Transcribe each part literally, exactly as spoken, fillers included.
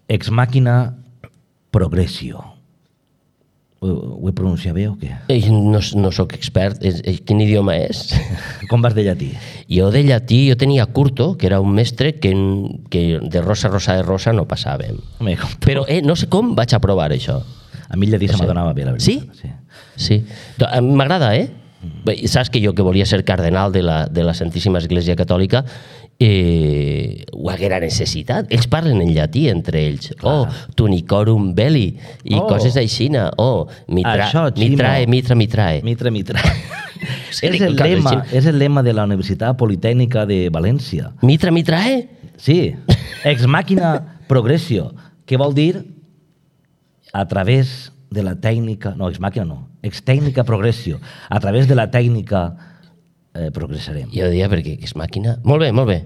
Ex màquina progressio. Ho, ho he pronunciat bé o què? Eh, No, no sóc expert. Eh, eh, Quin idioma és? Com vas de llatí? Jo de llatí, jo tenia Curto, que era un mestre que, que de rosa, rosa, de rosa no passàvem. Home, com tu. Però eh, no sé com vaig aprovar això. A mi el llatí No se sé. m'adonava bé, la veritat. Sí? Sí. Do- a mi M'agrada, eh? Bé, saps que jo, que volia ser cardenal de la, de la Santíssima Església Catòlica, eh, ho haguera necessitat. Ells parlen en llatí entre ells. Clar. Oh, tunicorum belli, i Oh. coses aixina. Oh, mi, tra Això, mi Ximo. trae, mitra, mi trae. Mitra, mitra. Sí, és, el coses lema, així. és el lema de la Universitat Politècnica de València. Mitra, mi trae? Sí, ex màquina progressio, que vol dir a través de la tècnica, no, ex màquina no, ex tècnica progressio, a través de la tècnica eh, progressarem. Jo diria perquè és màquina... Molt bé, molt bé.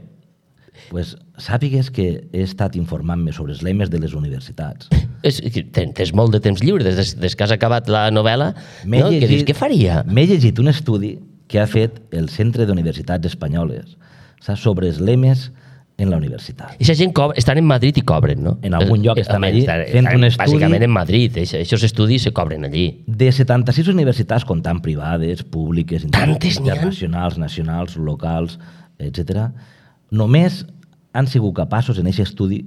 Pues, sàpigues que he estat informant-me sobre els lemes de les universitats. És, que ten- tens molt de temps lliure, des, des que has acabat la novel·la, M'he no? Que dius, què faria? M'he llegit un estudi que ha fet el Centre d'Universitats Espanyoles, saps, sobre els lemes en la universitat. Aquesta gent cobra, estan en Madrid i cobren, no? En algun lloc Eh, estan home, allí estan, fent estan un estudi. Bàsicament en Madrid, aquests estudis se cobren allí. De setanta-sis universitats, comptant privades, públiques, Tantes n'hi ha? internacionals, nacionals, locals, etcètera, només han sigut capaços en aquest estudi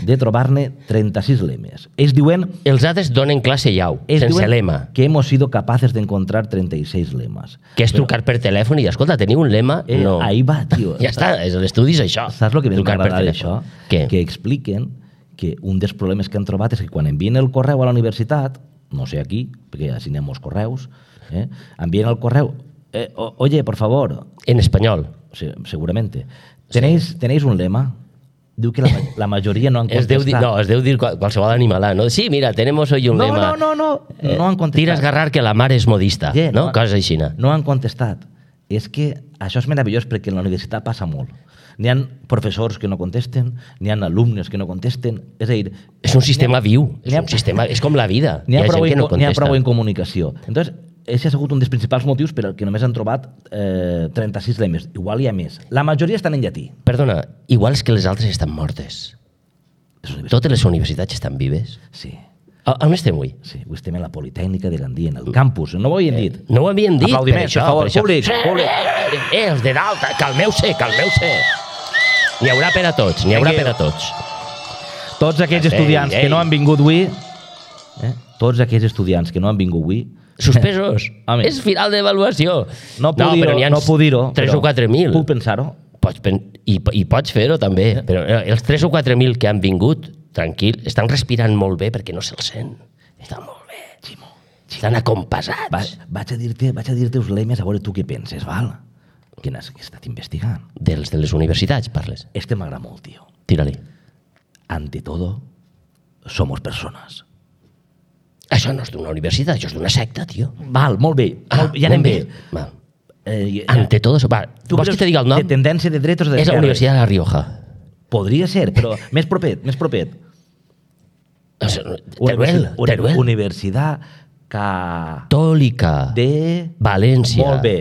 de trobar-ne trenta-sis lemes. Ells diuen, Els altres donen classe llau, ells sense diuen lema, que hemos sido capaces de encontrar treinta y seis lemes. que és trucar per telèfon i dir, escolta, teniu un lema? Eh, No. Ahí va, tio. Ja està, és- l'estudi és això. Saps el que més m'ha Trucar per agradat telèfon. d'això? Què? Que expliquen que un dels problemes que han trobat és que quan envien el correu a la universitat, no sé aquí, perquè així anem molts correus, eh, envien el correu, eh, o- oye, por favor, En espanyol. sí, seguramente, ¿tenéis, ¿tenéis un lema? Diu que la, ma- la majoria no han Es deu dir, contestat. no, es deu dir qual- qualsevol animalà, no? Sí, mira, tenemos hoy un no, lema. no, no, no, Eh, no han contestat. Tira a esgarrar que la mar és modista, Yeah, no? no. Coses així. No han contestat. És que això és meravellós perquè en la universitat passa molt. N'hi ha professors que no contesten, n'hi ha alumnes que no contesten, és a dir... És un sistema n'hi ha- viu, és n'hi ha- un sistema, és com la vida. N'hi ha, Hi ha prou gent que en, no co- n'hi ha contesta. prou en comunicació. Entonces, ese ha sigut un dels principals motius per al que només han trobat eh, trenta-sis lemes. Igual hi ha més. La majoria estan en llatí. Perdona, igual és que les altres estan mortes. Les universitats- Totes les universitats estan vives. Sí, A- On estem avui? sí. Avui estem a la Politècnica de Gandia, en el campus. No ho havíem dit. No ho havíem dit, per Aplaudiments, això. per favor, per això. públic, Sí, públic. Eh, els de dalt, calmeu-se, calmeu-se. N'hi haurà per a tots, n'hi haurà per a tots. Tots aquells Ei, estudiants ei. que no han vingut avui, eh? tots aquells estudiants que no han vingut avui, Suspesos. Home. És final d'avaluació. no puc dir-ho, però n'hi ha no puc dir-ho, tres però o quatre mil. Puc pensar-ho. Pots pen... I, I pots fer-ho també. Però eh, els tres o quatre mil que han vingut, tranquil, estan respirant molt bé perquè no se'ls sent. Estan molt bé. Ximo, Estan acompassats. Va, vaig a dir-te vaig a dir-te els lemes a veure tu què penses, val? Que n'has que he estat investigant. Dels de les universitats, parles. Este m'agrada molt, tio. Tira-li. Ante todo, somos personas. Això no és d'una universitat, això és d'una secta, tio. Val, molt bé. Ah, molt, ja anem molt bé. Val. Eh, Ante todo... Va, tu vols que te diga el nom? De tendència de dretes o És la d'esquerres? Universitat de La Rioja. Podria ser, però més propet, més propet. O sigui, Teruel, Uni- Teruel. Universitat Ca... Tòlica. de... València. Molt bé.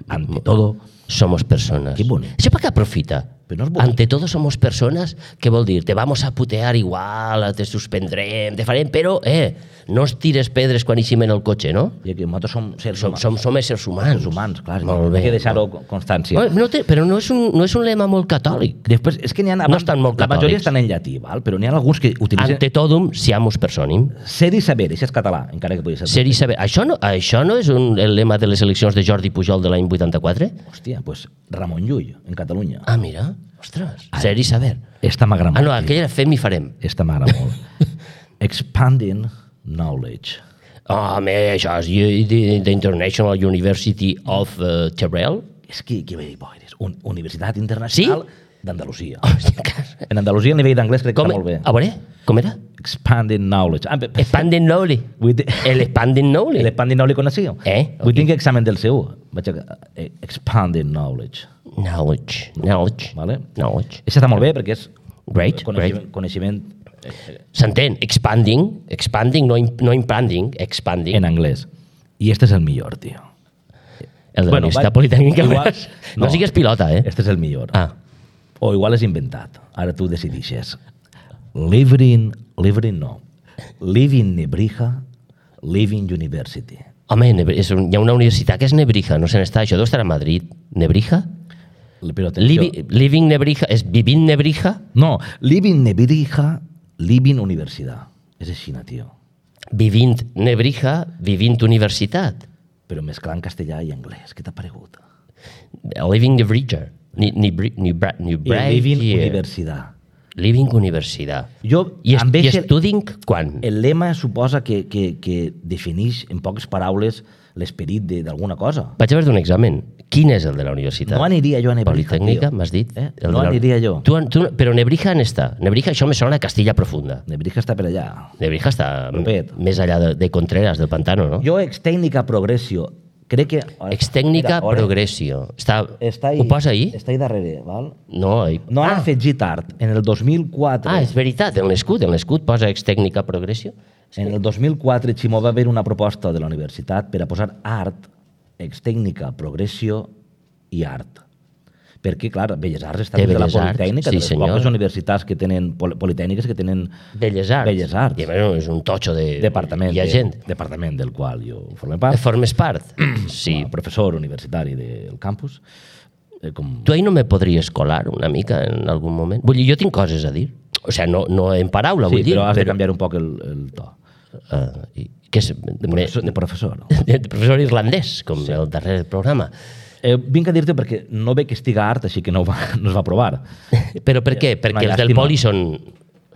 Ante todo, Somos personas. Qué bonito. Això per què aprofita? Però no és bonic. Ante todo somos personas, què vol dir? Te vamos a putear igual, te suspendrem, te farem, però, eh, no es tires pedres quan eixim en el cotxe, no? I que nosaltres som sers Som, humans. som, som éssers humans. Éssers humans, clar. Molt bé. Hay que deixar-ho constància. No, no té, però no és, un, no és un lema molt catòlic. Després, és que n'hi ha... No estan molt La majoria catòlics. estan en llatí, val? Però n'hi ha alguns que utilitzen... Ante todum siamus personim. Ser i saber, això és català, encara que pugui ser... Ser i saber. Això no, això no és un, el lema de les eleccions de Jordi Pujol de l'any vuitanta-quatre? Hòstia, pues Ramon Llull, en Catalunya. Ah, mira. Ostres. Ser i saber. Esta m'agrada Ah, molt. no, aquella era fem i farem. Esta m'agrada molt. Expanding knowledge. Oh, home, això és u- the, the International University of uh, Teruel. És que, que bé boires. Un, Universitat Internacional Sí? d'Andalusia. Hòstia, que- En Andalusia el nivell d'anglès crec que Com, està molt bé. a veure, com era? Expanding knowledge. Ah, pe- Expanding knowledge. Vull dir- El expanding knowledge. L'expanding knowledge coneixeu? Eh? Vull dir que examen del C U. Vaig a... eh, Expanding knowledge. Knowledge. Knowledge. Vale? Knowledge. Això està molt bé perquè és Great, coneixement, coneixement S'entén. Expanding. Expanding, no, im- no impanding. Expanding. en anglès. I este és el millor, tio. El de la Bueno, Universitat va- Politècnica. igual- No, no. sigues pilota, eh? Este és el millor. Ah. O igual és inventat. Ara tu decidixes. Living Living no. Living Nebrija, Living University. Home, Nebri- és un, hi ha una universitat que és Nebrija, no se n'està, això deu estar a Madrid. Nebrija? Però atenció. Livi, living Nebrija, és Vivint Nebrija? No, Living Nebrija, Living Universitat. És així, tio. Vivint Nebrija, Vivint Universitat. Però mesclant castellà i anglès. Què t'ha paregut? Living Nebrija. Ni, ni, ni, ni, ni, I Living Universitat. Living Universitat. Jo, I, est, amb i eixe- Studing quan? El lema suposa que, que, que defineix en poques paraules l'esperit de- d'alguna cosa. Vaig haver d'un examen. Quin és el de la universitat? No aniria jo a Nebrija, Politècnica, tio. m'has dit? Eh? El No de la- aniria jo. Tu, tu, però Nebrija on està? Nebrija, això me sona a Castilla Profunda. Nebrija està per allà. Nebrija està Propet. més allà de, de Contreras, del Pantano, no? Jo, extècnica progressio, crec que... Extècnica Espera, ora, Progressio. Està, Està ahí, ho posa ahí? Està ahí darrere, val? No, ahí. No han ah, afegit art. En el dos mil quatre... ah, és veritat, en l'escut, en l'escut posa Extècnica Progressio. En el dos mil quatre, Ximó, va haver una proposta de la universitat per a posar art, extècnica, progressio i art. Perquè, clar, Belles Arts està Té dins de la Belles Arts, Politècnica, sí, de les senyor. poques universitats que tenen, pol- politècniques que tenen Belles Arts. Belles Arts. I a més és un totxo de... departament, Hi ha de- gent. departament del qual jo formo part, Formes part? Sí. com a professor universitari del campus. Eh, com... Tu ahí no me podries colar una mica en algun moment? Vull dir, jo tinc coses a dir. O sigui, no, no en paraula, Sí, vull dir. però has de canviar un poc el, el to. Uh, i, que és, De professor, de professor no? de professor irlandès, com sí. el darrer programa. Eh, vinc a dir-te perquè no veig que estiga art, així que no, va, no es va provar. Però per què? Una Perquè els del llàstima. poli són...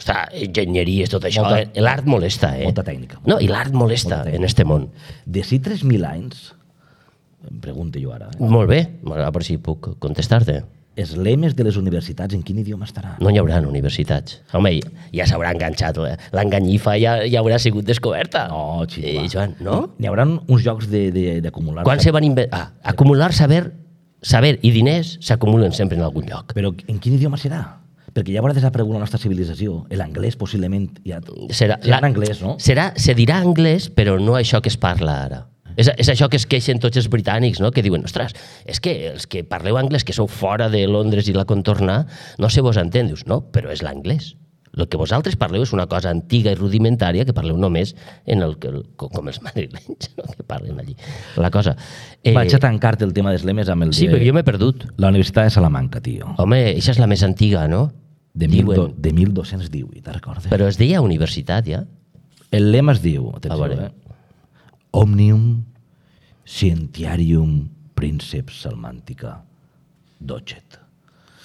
Està, enginyeries, tot això. Molta- eh? L'art molesta, eh? molta tècnica. No, i l'art molesta Molta en este món. De si tres mil anys, em pregunto jo ara, eh? Molt bé, a veure si puc contestar-te. els lemes de les universitats en quin idioma estaran? No hi haurà universitats. Home, ja s'haurà enganxat. L'enganyifa ja, ja haurà sigut descoberta. No, xiva. Eh, Joan, no? N'hi haurà uns jocs de- de- d'acumular... Quan se van inventar... Ah, acumular saber, saber i diners s'acumulen sempre en algun lloc. Però en quin idioma serà? Perquè ja haurà desaparegut la nostra civilització. L'anglès, possiblement, ja... Serà, serà en anglès, no? Serà, se dirà anglès, però no això que es parla ara. És, és això que es queixen tots els britànics, no? Que diuen, ostres, és que els que parleu anglès, que sou fora de Londres i la contorna, no se vos entén. Dius, no, però és l'anglès. El que vosaltres parleu és una cosa antiga i rudimentària que parleu només en el, que- com els madrilenys, no? Que parlen allí. La cosa... Eh... Vaig a tancar-te el tema dels lemes amb el Sí, de... perquè jo m'he perdut. La Universitat de Salamanca, tio. Home, això és la més antiga, no? De, mil, Diuen. do, de mil dos-cents divuit, te'n recordes? Però es deia universitat, ja? El lema es diu, A atenció, veure. eh? Omnium Scientiarium Princeps Salmantica Docet.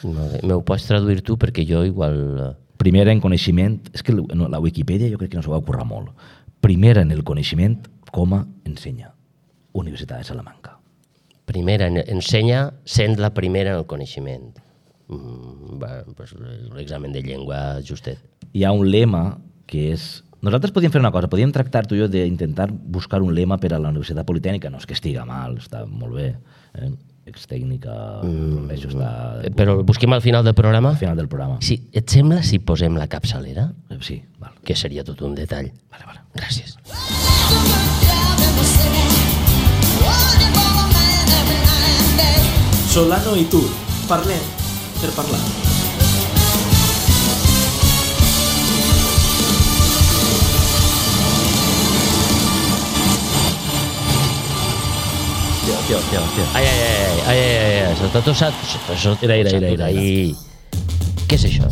No, me ho pots traduir tu perquè jo igual... eh, Primera en coneixement, és que no, la Wikipedia jo crec que no s'ho va currar molt. Primera en el coneixement, coma, ensenya. Universitat de Salamanca. Primera, en- ensenya sent la primera en el coneixement. Mm, va, pues, l'examen de llengua justet. Hi ha un lema que és... Nosaltres podíem fer una cosa, podíem tractar tu i jo d'intentar buscar un lema per a la Universitat Politècnica. No és que estiga mal, està molt bé. Eh? Extècnica, mm. això està Eh, Però busquem al final del programa. al final del programa. Sí, et sembla si posem la capçalera? Eh, Sí, val. Que seria tot un detall. Vale, vale. Gràcies. Solano i tu, parlem per parlar. Hòstia, hòstia, hòstia, hòstia. Ai, ai, ai, ai, ai, ai, ai, sota tot s'ha... Això, Era, era, era, era. Ai. Què és això?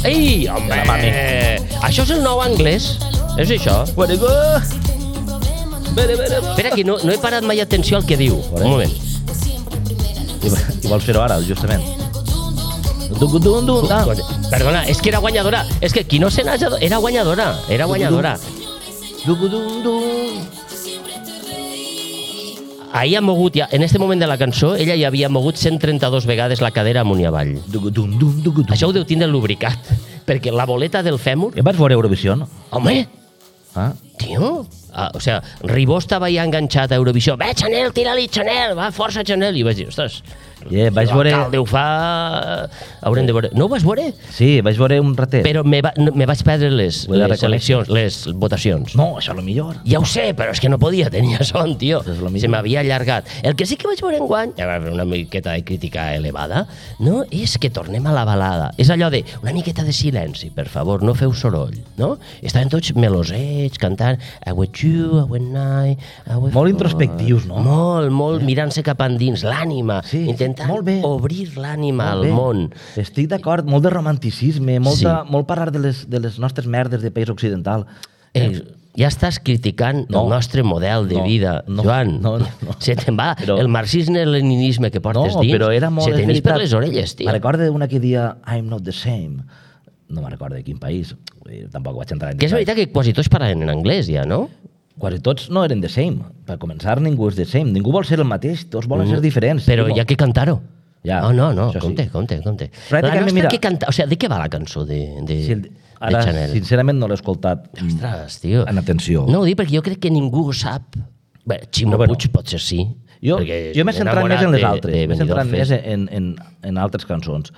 Ei, home! La mami. Això és el nou anglès? És això? What a go! Bere, bere, bere. Espera, que no, no he parat mai atenció al que diu. Veure. Un moment. I, i vols fer-ho ara, justament. Dun, dun, dun, ah. Perdona, és que era guanyadora. És que qui no se n'haja... Era guanyadora. Era guanyadora. Dun, dun, dun. Ahir ha mogut, ja, en este moment de la cançó, ella ja havia mogut cent trenta-dos vegades la cadera amunt i avall. Dun, dun, dun, dun, dun. Això ho deu tindre lubricat, perquè la boleta del fèmur... Eh, vas veure Eurovisió, no? Home, Ah? tio... Ah, o sea, Ribó estava ja enganxat a Eurovisió. Ve, Chanel, tira-li, Chanel, va, força, Chanel. I vaig dir, ostres, Yeah, vaig veure... L'alcalde ho fa... Haurem de veure... No ho vas veure? Sí, vaig veure un ratet. Però me, va, me vaig perdre les, les eleccions, les votacions. No, això és el millor. Ja ho sé, però és que no podia, tenia son, tio. Això és lo millor. Se m'havia allargat. El que sí que vaig veure enguany, ja va haver una miqueta de crítica elevada, no? És que tornem a la balada. És allò de una miqueta de silenci, per favor, no feu soroll, no? Estaven tots melosets, cantant I with you, I with night, I with Molt God. introspectius, no? Molt, molt, mirant-se cap endins, l'ànima, Sí, intentant molt bé. obrir l'ànima Molt al bé. món. Estic d'acord, molt de romanticisme, molta, Sí. molt parlar de les, de les nostres merdes de país occidental. Eh, ja estàs criticant No. el nostre model de No, vida, no, Joan. no, no, no. Se te'n va Però- el marxisme-leninisme que No, portes dins, però era molt... se és t'enís per veritat. les orelles, tio. Me recordo una que dia I'm not the same. No me recordo de quin país. Vull dir, tampoc vaig entrar en Que és detall. veritat que quasi tots parlen en anglès, ja, no? Quasi tots no eren the same. Per començar, ningú és the same. Ningú vol ser el mateix, tots volen ser diferents. Però Timo. hi ha que cantar-ho. Ja, Oh, no, no, això sí. compte, compte, compte. Pràcticament, La nostra mira- que canta... O sigui, de què va la cançó de, de, Sí, de ara, Chanel? sincerament, no l'he escoltat mm, Ostres, tio. en atenció. No ho dic perquè jo crec que ningú ho sap. Bé, Ximo No, bueno. Puig potser sí. Jo, perquè jo m'he centrat enamorat més en les de- altres. de M'he centrat Benidorm més Fest. en, en, en altres cançons.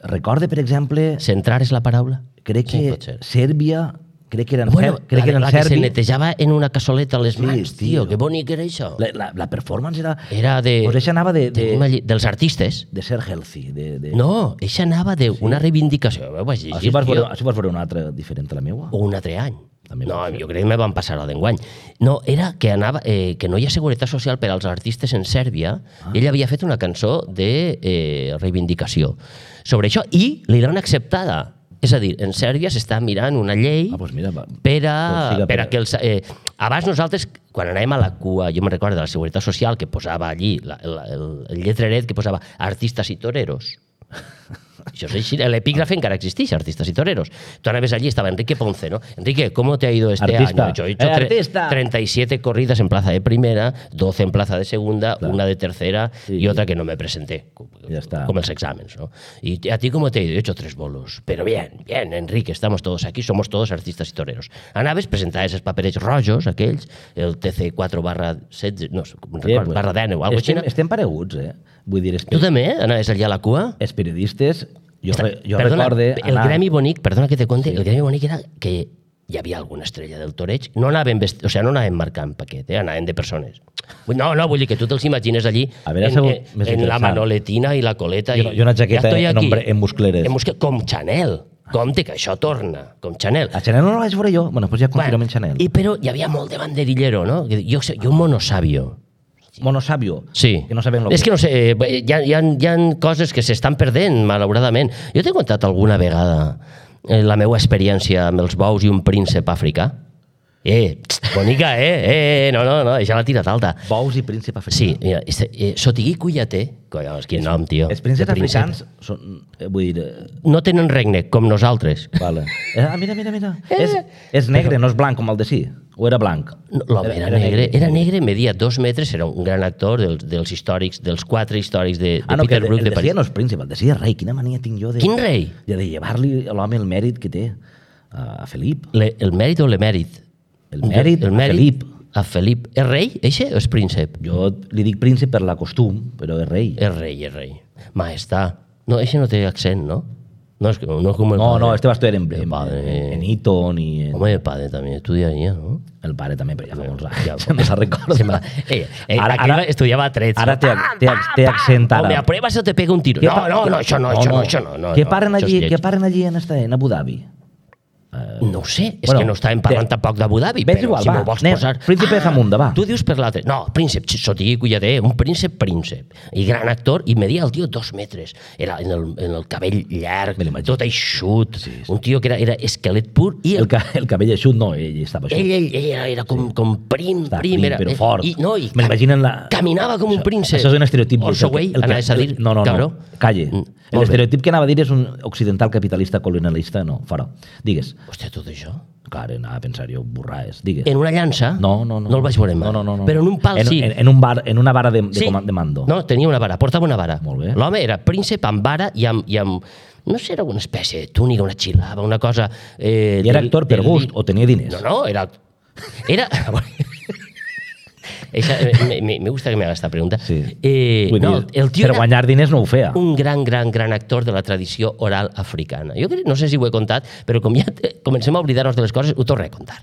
Recorde, per exemple, Centrar és la paraula? crec Sí, que pot ser. Sèrbia, crec que eren, Bueno, ser, crec la, que eren la que se serbi. netejava en una cassoleta a les Sí, mans, tio. tio, que bonic era això. La, la, la performance era... Era de... Pues això anava de, de, tenim allí- dels artistes. de ser healthy. De, de... No, això anava d'una reivindicació. Ho vaig llegir, Així vas, tio. veure, així vas veure una altra diferent a la meua? O un altre any. També No, pot ser. jo crec que me van passar la d'enguany. No, era que anava eh, que no hi ha seguretat social per als artistes en Sèrbia. Ah. Ell havia fet una cançó de eh, reivindicació sobre això i li l'han acceptada. És a dir, en Sèrbia s'està mirant una llei Ah, doncs mira, va. per a, Doncs siga per a per- que els... Eh, abans nosaltres, quan anàvem a la cua, jo me'n recordo de la Seguretat Social, que posava allí la, el, el, el lletreret que posava artistes i toreros. Això és així. L'epígrafe encara existeix, artistes y toreros. Tu anaves allí, estaba Enrique Ponce, ¿no? Enrique, ¿cómo te ha ido este Artista. año? Yo he hecho Eh, tre- artista. treinta y siete corridas en plaza de primera, doce en plaza de segunda, Claro. una de tercera Sí. y otra que no me presenté. Ya está. Como los exámenes, ¿no? ¿Y a ti cómo te ha ido? He hecho tres bolos. Pero bien, bien, Enrique, estamos todos aquí, somos todos artistas y toreros. Anaves, presentaves els paperets rojos, aquells, el T C quatre barra setze, no, com Sí, record, pues, barra deu o alguna estem, cosa. estem pareguts, eh? Vull dir, els, Tu també, eh? Anaves allà a la cua? els periodistes, jo, re, jo Perdona, recorde... el gremi bonic, perdona que te conte, el gremi bonic era que hi havia alguna estrella del toreig, no anaven, vest... o sea, no anaven marcant paquet, eh? Anaven de persones. Vull- No, no, vull dir que tu te'ls imagines allí A veure, en, segur en, més en la interessant. manoletina i la coleta. I una- i una jaqueta ja estoy en aquí. ombre- en muscleres. En muscle... Com Chanel. Compte que això torna, com Chanel. A Chanel no la vaig veure jo. Bueno, doncs ja confirmem en Chanel. I, però hi havia molt de banderillero, no? Jo, sé- jo un monosàvio. Monosàvio. Sí. Que no sabem lo És que que no sé, eh, hi ha, hi ha, hi ha coses que s'estan perdent, malauradament. Jo t'he contat alguna vegada eh, la meva experiència amb els bous i un príncep africà. Eh, txt, bonica, eh? Eh, no, no, no, això l'ha tirat alta. Bous i príncep africà. Sí, mira, este, eh, Sotigui Cuyaté, collons, quin nom, tio. Els prínceps de príncep. africans són... Eh, vull dir... Eh, No tenen regne, com nosaltres. vale. Eh, ah, mira, mira, mira. És, és negre, no és blanc com el de sí. O era blanc? No, L'home era, era negre, era negre, media dos metres, era un gran actor dels, dels històrics, dels quatre històrics de, de Ah, no, que Peter el, Brook el de de sí París. no és príncep, el de sí és rei. Quina mania tinc jo de... Quin rei? De, de llevar-li a l'home el mèrit que té a, a Felip. Le, el mèrit o l'emèrit? El mèrit, el a mèrit Felip. A Felip. És rei, eixe, o és príncep? Jo li dic príncep per la costum, però és rei. És rei, és rei. Maestà. No, eixe no té accent, no? No és, no és com el No, padre. no, este va estudiar en, El en, padre. en Eton i en, Home, el padre també estudiaria, no? el pare també, però ja fa molts anys. Ja, Ja, me la recordo. Se me la- eh, eh, Ara- aquí ara- estudiava trets. Ara no? té, té, té accent Home, àrab. a prueba se te pega un tiro. Què No, pa- no, no, això no, això no, això no. no Què no, paren això és allí, lleig. què paren allí en, esta, en Abu Dhabi? No ho sé, és Bueno, que no estàvem parlant té- tampoc d'Abu Dhabi, Ves però igual, si va, m'ho vols anem. posar... Príncipe de Zamunda, va. Tu dius per l'altre. No, príncep, Sotigui Cuyaté, un príncep príncep. I gran actor, i media el tio dos metres. Era en el, en el cabell llarg, Me l'imagino. tot eixut. Sí, sí. Un tio que era, era esquelet pur. I El, el, ca, el cabell eixut, no, ell estava eixut. ell, ell, ell era, era com, com prim, Està prim. prim, Era, però eh, fort. I, no, i Me l'imaginen la... caminava com un Això- príncep. Això és un estereotip. Orso El que- Güell, el que- anaves a dir, No, no, cabró. no. Calle. Mm, molt bé. L'estereotip que anava a dir és un occidental capitalista colonialista, no, fora. Digues. Hòstia, tot això? Clar, anava a pensar jo, borraes. Digues. En una llança? No, no, no. No el vaig veure mai. No, no, no, no. Però en un pal en, sí. En, en, un bar, en una vara de, de, Sí. comand- de mando. No, tenia una vara, portava una vara. Molt bé. L'home era príncep amb vara i amb, i amb no sé, era una espècie de túnica, una xilava, una cosa... Eh, I era del- actor per del- gust o tenia diners? No, no, era... Era... Eixa, me, me, me gusta que me haga esta pregunta. Sí. Eh, Vull no, dir, el tio per era guanyar diners no ho feia. un gran, gran, gran actor de la tradició oral africana. Jo crec, no sé si ho he contat, però com ja te, comencem a oblidar-nos de les coses, ho torno a contar.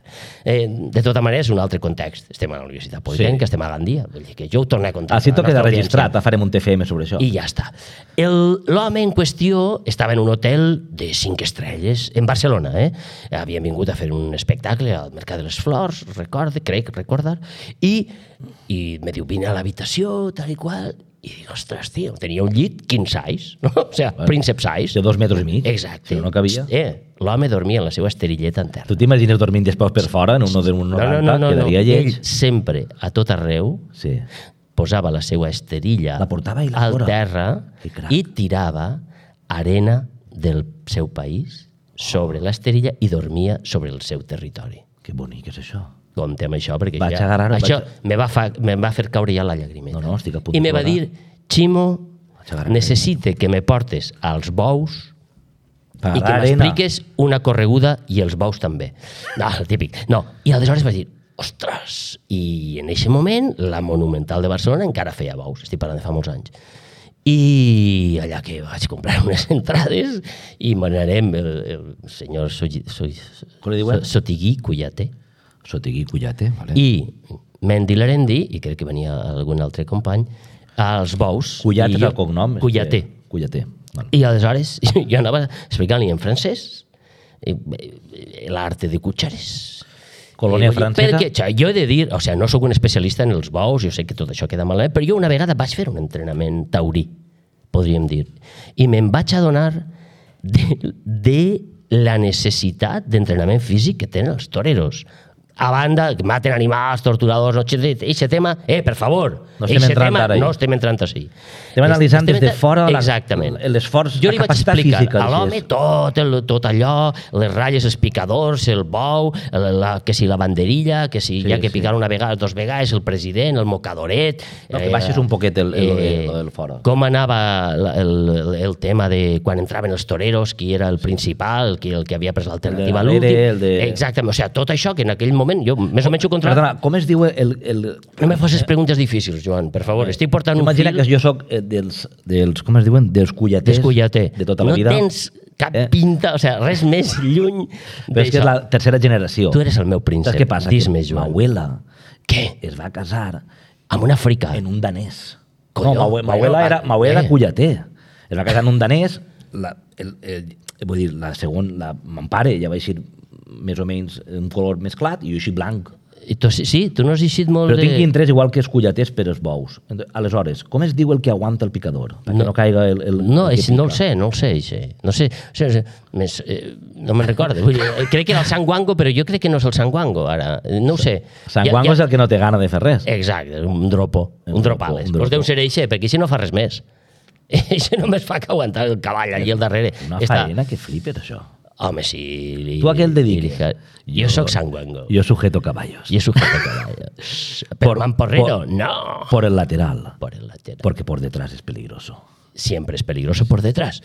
Eh, de tota manera, és un altre context. Estem a la Universitat Politécnica, sí. estem a Gandia. Vull dir que jo ho torno a contar. Així a la tot queda nostra registrat, audiència. farem un T F M sobre això. I ja està. El- L'home en qüestió estava en un hotel de cinc estrelles en Barcelona. Eh? Havien vingut a fer un espectacle al Mercat de les Flors, recorde, crec recordar, i, i me diu, vine a l'habitació, tal i qual, i dic, ostres, tio, tenia un llit king size, no? O sigui, bueno, príncep size. De dos metres i mig. Exacte. Si no cabia. Eh, l'home dormia en la seva esterilleta en terra. Tu t'imagines dormint després per fora, en un de un No, noranta, no, no, no, no. quedaria lleig. Ell sempre, a tot arreu, Sí. posava la seva esterilla La portava ell a al fora. terra Que crac. i tirava arena del seu país sobre l'esterilla i dormia sobre el seu territori. Que bonic és això. Compte amb això, perquè Vaig ja, agarrar- això vaig- me, va fa, me va fer caure ja la llagrimeta. No, no, estic a punt I de me va plorar. dir, Ximo, Vaig agarrar necessite que me portes als bous Per i que arena. m'expliques una correguda i els bous també. No, el típic. No. I aleshores vaig dir, ostres, i en aquest moment la Monumental de Barcelona encara feia bous, estic parlant de fa molts anys. I allà que vaig comprar unes entrades i m'anarem el, el senyor Sogi- Sogi- Com li diuen? Sotigui Cuyaté. Sotigui Cullate, vale. I Mendilarendi, i crec que venia algun altre company, als bous. Cullate i és jo- el cognom. és Cuyaté. que- Cullaté. Vale. I aleshores jo anava explicant-li en francès eh, eh, l'arte de cutxares. Colònia Eh, francesa. Perquè xa, jo he de dir, o sigui, no sóc un especialista en els bous, jo sé que tot això queda malament, però jo una vegada vaig fer un entrenament taurí, podríem dir, i me'n vaig adonar de, de la necessitat d'entrenament físic que tenen els toreros. A banda, que maten animals, torturadors, no, eixe tema, eh, per favor, No estem eixe entrant tema ara ahí. no estem entrant així. Estem analitzant Estem des de entrant- fora la- Exactament. l'esforç, Jo la li vaig capacitat explicar física, a l'home dices. tot, el, tot allò, les ratlles, els picadors, el bou, la, la, que si la banderilla, que si Sí, hi ha que sí. picar una vegada, dos vegades, el president, el mocadoret... No, que baixes un poquet el- el- el- el fora. Com anava la- el, el, el tema de quan entraven els toreros, qui era el principal, qui, el que havia pres l'alternativa a El de l'últim... darrere, el de- Exactament, o sigui, tot això que en aquell moment jo més o menys ho controlava. Perdona, com es diu el... el... No me facis preguntes difícils, Joan, per favor. Estic portant un Imagina fil... que jo sóc eh, dels, dels... Com es diuen? Dels cullaters Descullater. de tota la no vida. tens cap Eh? pinta, o sigui, res més lluny Però és que és la tercera generació. Tu eres el meu príncep. Saps què passa? Dis-me, Que Joan. Mauela Què? es va casar Amb un africà? en un danès. Colló, no, Maue- Mauela bueno, era, va- Mauela era eh. cullater. Es va casar en un danès. La, el, el, vull dir, la segon, la, mon pare ja va eixir més o menys un color més clar i jo així blanc. I tu, sí, sí, tu no has eixit molt Però de... tinc interès igual que els cullaters per els bous. Ent- Aleshores, com es diu el que aguanta el picador? Perquè no, No. no caiga el, el, No, el que és, no el pica. sé, no el sé, eixe. No sé, o sigui, més, eh, no me'n recordo. Vull dir, eh, crec que era el sanguango, però jo crec que no és el sanguango, ara. No ho sé. Sanguango Ja- és el que no té gana de fer res. Exacte, un dropo, Un un, dropo, dropales. un Doncs dropo. deu ser eixe, perquè així no fa res més. Eixe només fa que aguantar el cavall allí al darrere. Una Està- faena que flipes, això. Home, sí. Li, Tu a què el dediques? li- Jo, jo sóc sanguango. Jo sujeto caballos. Jo sujeto caballos. Pero mamporrero, por- no. Por el lateral. Por el lateral. Porque por detrás es peligroso. Siempre es peligroso por detrás.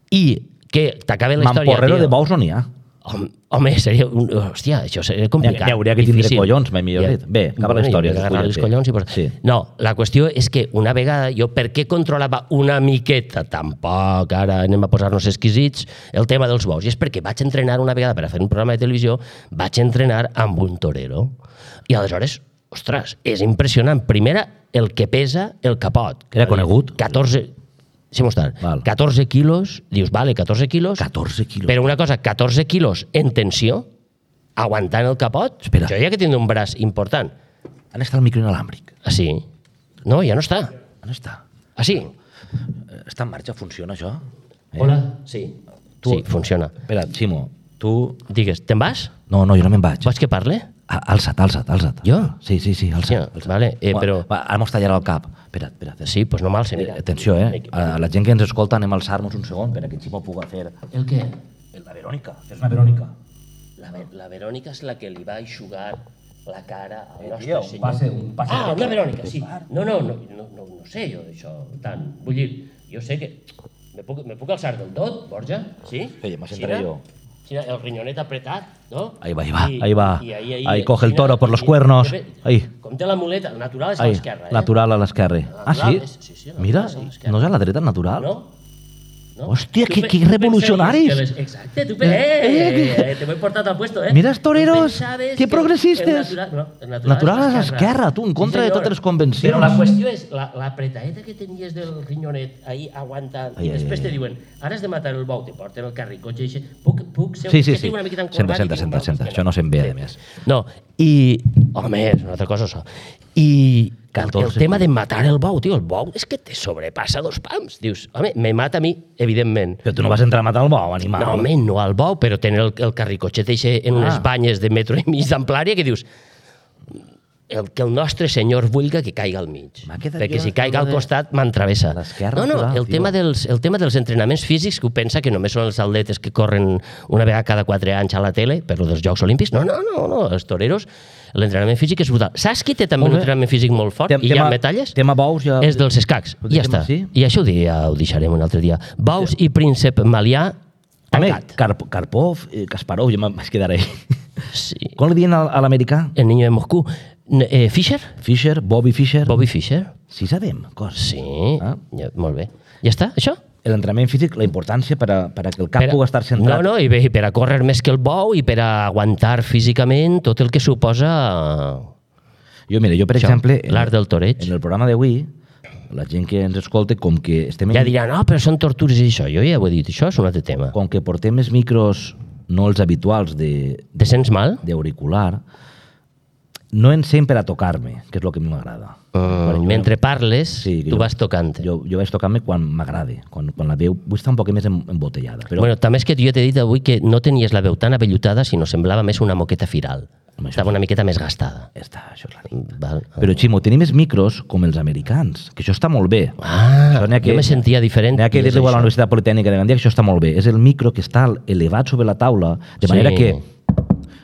I que t'acabe la història, Mamporrero tio. de bous no n'hi ha. Home, home, seria... Un, hòstia, això seria complicat. N'hi hauria que tindre difícil. collons, mai millor dit. Bé, acaba la Bueno, història, i agarrar els esculla't. collons i... Por... Sí. No, la qüestió és que una vegada jo, per què controlava una miqueta, tampoc, ara anem a posar-nos exquisits, el tema dels bous? I és perquè vaig entrenar una vegada per a fer un programa de televisió, vaig entrenar amb un torero. I aleshores, ostres, és impressionant. Primera, el que pesa el capot. Era conegut? catorze... Sí, mostrar. Val. catorze quilos, dius, vale, catorze quilos, catorze quilos. però una cosa, catorze quilos en tensió, aguantant el capot, Espera. jo ja que tinc un braç important. On està el micro inalàmbric? Ah, sí? No, ja no està. On està? Ah, sí? Eh, Està en marxa? Funciona això? Eh? Hola. Sí. Tu- Sí, funciona. Espera, Ximo, tu... Digues, te'n vas? No, no, jo no me'n vaig. Vols que parle? Ah, alça't, alça't, alça't. Jo? Sí, sí, sí, alça't. Sí, alça't. vale, eh, Va, però- Va, ara mos tallarà el cap. Espera, espera. espera. Sí, doncs no mal, Eh, mira. atenció, eh? A la gent que ens escolta anem a alçar-nos un segon per a que el Ximo pugui fer... El què? La Verònica, és una Verònica. La, Ve- la Verònica és la que li va eixugar la cara al Eh, nostre tio, un senyor. passe- un passe ah, de- una Verònica, sí. Clar. No, no, no, no, no, no sé jo d'això tant. Vull dir, jo sé que... Me puc, me puc alçar del tot, Borja? Sí? Oye, m'ha Sí, sentaré no? jo. Mira, el riñonet apretat, ¿no? Ahí va, ahí va, I, ahí va. i ahí, ahí, Ahí coge el mira, toro por los i- cuernos. i- Ahí. Com té la muleta, el natural és a Ahí, l'esquerra, eh? natural a l'esquerra. Ah, sí? Natural és- sí, sí, el Mira, natural és a l'esquerra. no és a la dreta el natural? No? No? Hòstia, Tu que- pe- que tu pensaries revolucionaris. que les- Exacte, tu... pe- Eh, eh, te voy portat al puesto, eh? Mira els Tu toreros, pensaves que progressistes. el natural, no, el natural, Natural és a l'esquerra, tu, en contra de senyor. totes les convencions. Però la qüestió és, la, la pretaeta que tenies del riñonet ahí aguantant, Ai, i ai, després ai. te diuen, ara has de matar el bou, te porten el carricotxe i dice, puc, puc ser Sí, sí, que sí. estic una miqueta Senta, encorbat? senta, I dic, senta, "No, senta. és que Això no se'n ve, a més. No, i... Home, és una altra cosa, això. I el, el catorze. tema de matar el bou, tio, el bou és que te sobrepassa dos pams. Dius, home, me mata a mi, evidentment. Però tu no vas entrar a matar el bou, animal. No, home, no al bou, però tenir el, el carricotxet eixe en unes Ah. banyes de metro i mig d'amplària que dius el, que el nostre senyor vulga que caiga al mig. M'ha quedat Perquè jo si caiga al de- costat m'entravessa. l'esquerra No, no, natural, el tio. tema, dels, el tema dels entrenaments físics, que ho pensa que només són els atletes que corren una vegada cada quatre anys a la tele, per lo dels Jocs Olímpics. No, no, no, no, els toreros, l'entrenament físic és brutal. Saps qui té també Molt un bé. entrenament físic molt fort Tem- i hi ha tema- medalles? tema bous ja- És dels escacs. Ho I ja deixem està. així? I això ho, di- ja ho deixarem un altre dia. Baus i Príncep Malià, Home, tancat. Karp Karpov, eh, Kasparov, jo me'n vaig quedar ahí. Sí. Com li diuen a, a l'americà? El niño de Moscú. N- Eh, Fischer? Fischer, Bobby Fischer. Bobby Fischer? Sí sabem coses. Sí. Ah. Ja, molt bé. Ja està, això? L'entrenament físic, la importància per a, per a que el cap Per a- pugui estar centrat. No, no, i bé, per a córrer més que el bou i per a aguantar físicament tot el que suposa Jo, mira, jo, per Això, exemple, en, l'art del toreig. en el programa d'avui, la gent que ens escolta, com que estem en, Ja dirà, no, però són tortures i això. Jo ja ho he dit, això és un altre tema. com que portem els micros, no els habituals de Te sents mal? d'auricular, no ens sent per a tocar-me, que és el que a mi m'agrada. Uh, mentre parles, Sí, que tu jo- vas tocant. Jo, jo vaig tocar-me quan m'agrada, quan, quan la veu vull estar un poc més em- embotellada. Però Bueno, també és que jo t'he dit avui que no tenies la veu tan avellutada, sinó semblava més una moqueta firal. Home, això Estava una miqueta més gastada. ja està, això és la nit. Val? Però, Ximo, tenim els micros com els americans, que això està molt bé. Ah, Això n'hi ha jo me sentia diferent. N'hi ha que i és dir-li a la això. Universitat Politècnica de Gandia que això està molt bé. És el micro que està elevat sobre la taula, de Sí. manera que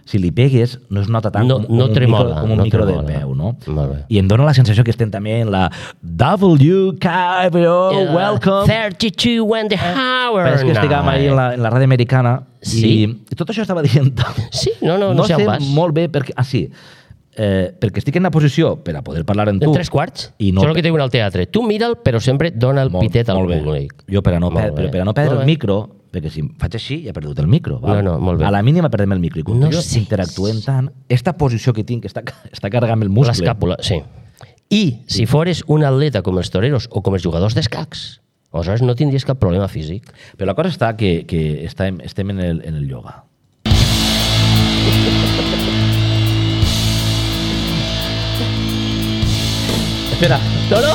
si li pegues no es nota tant No- com, no com un tremola, micro, com un no micro de tremola. peu, no? Molt bé. I em dóna la sensació que estem també en la W K B O, Yeah, welcome. thirty-two and a hour Però és que estiguem ahí en la, en la ràdio americana Sí. i tot això estava dient... Sí, no, no, no, no sé sé on vas. molt bé perquè... Ah, sí. Eh, perquè estic en una posició per a poder parlar amb tu. En tres quarts? I no Això és el que te diuen al teatre. Tu mira'l, però sempre dona el Molt- pitet al molt bé. públic. Jo per a no, Molt per, bé. però per a no perdre Molt el bé. micro, perquè si faig així ja he perdut el micro. Val? No, no, molt bé. A la mínima perdem el micro. I com No que jo sé. interactuem tant, esta posició que tinc, que està, està carregant el muscle... L'escàpula, sí. I si fores un atleta com els toreros o com els jugadors d'escacs, aleshores no tindries cap problema físic. Però la cosa està que, que estem, estem en, el, en el yoga. Espera, No, no,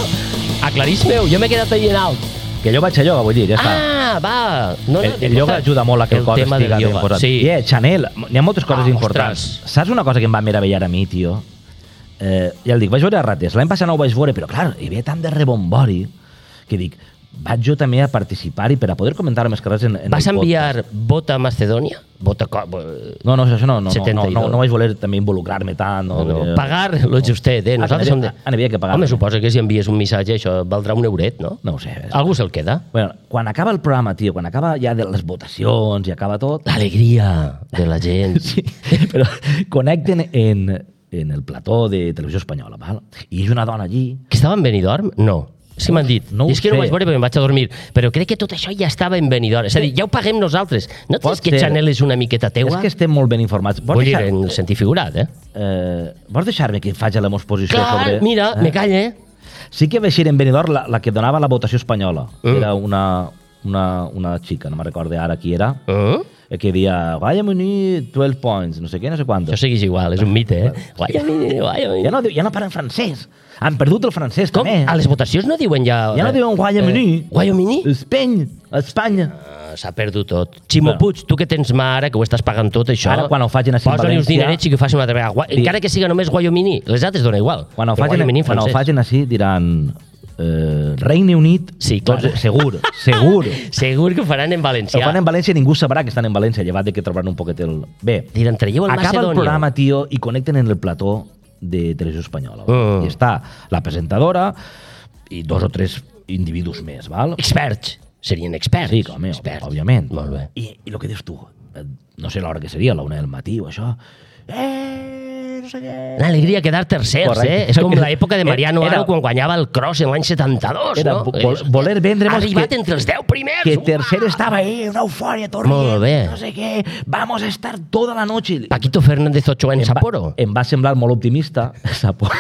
aclarisme-ho, jo m'he quedat ahí en alt. que jo vaig a yoga, vull dir, ja està. Ah, va. No, no, El, el yoga ajuda molt a que el, el cos tema estiga del ben yoga, posat. sí. Yeah, Chanel, n'hi ha moltes coses Ah, importants. ostres. Saps una cosa que em va meravellar a mi, tio? Eh, ja el dic, vaig veure a rates. L'any passat no ho vaig veure, però clar, hi havia tant de rebombori que dic, vaig jo també a participar-hi per a poder comentar més coses en, en Vas el podcast. enviar Bota a Macedònia? Bota... co- No, no, això no, no, no, no, setenta-dos. no, no vaig voler també involucrar-me tant. No, No, no, perquè- pagar lo justet, eh? Nosaltres Ah, som de... ah, n'hi havia que pagar. Home, suposa que si envies un missatge això valdrà un euret, no? No ho sé. Algú se'l queda. Bueno, quan acaba el programa, tio, quan acaba ja de les votacions i acaba tot... L'alegria de la gent. Sí, però connecten en, en el plató de Televisió Espanyola, val? I hi ha una dona allí... Que estava en Benidorm? No. És que m'han dit. No ho I és que no sé. vaig veure perquè em vaig a dormir. Però crec que tot això ja estava en Benidorm. És a dir, ja ho paguem nosaltres. No Pot tens que ser. Chanel és una miqueta teua? És que estem molt ben informats. Vols Vull dir, deixar- en sentit figurat, eh? eh, vols deixar-me que faci la meva exposició Clar, sobre... mira, Eh? me calle. Sí que va ser en Benidorm la, la que donava la votació espanyola. Mm. Era una, una, una xica, no me recordo ara qui era, Uh? que deia Guayam Uni, dotze points, no sé què, no sé quant. Això segueix igual, és un mite, eh? Guayamini, guayamini. Ja no, diu- ja no parlen francès. Han perdut el francès, Com? també. A les votacions no diuen ja... Ja no diuen Guayamini. Eh, Guayamini? Espany, Espanya. Ah, S'ha perdut tot. Ximo Bueno. Puig, tu que tens mà ara, que ho estàs pagant tot, això... Ara, quan ho facin així en posa-li uns València- dinerets i que ho facin una altra vegada. Gua- Sí. Encara que siga només Guayomini, les altres dona igual. Quan ho Però facin, Guayomini en quan ho francès. facin així diran eh, Regne Unit, Sí, tots, clar. segur, segur. Segur que ho faran en Ho valencià. fan en València i ningú sabrà que estan en València, llevat de que trobaran un poquet el... Bé, Diran, traieu el acaba Macedònia. el programa, tio, i connecten en el plató de Televisió Espanyola. Mm. I està la presentadora i dos o tres individus més, val? Experts. Serien experts. Sí, home, experts. òbviament. Molt bé. I, I el que dius tu, no sé l'hora que seria, la una del matí o això. Eh, no sé què... Una alegria quedar tercers, Correcte. eh? És com l'època de Mariano Era- Aro quan guanyava el cross en l'any setanta-dos, Era no? vo- voler vendre-mos Ha arribat que- entre els deu primers. Que Uah! tercer estaba ahí, una euforia, torrent, Molt bé. no sé què, vamos a estar toda la noche. Paquito Fernández Ochoa en Em va- Sapporo. Em va semblar molt optimista, Sapporo.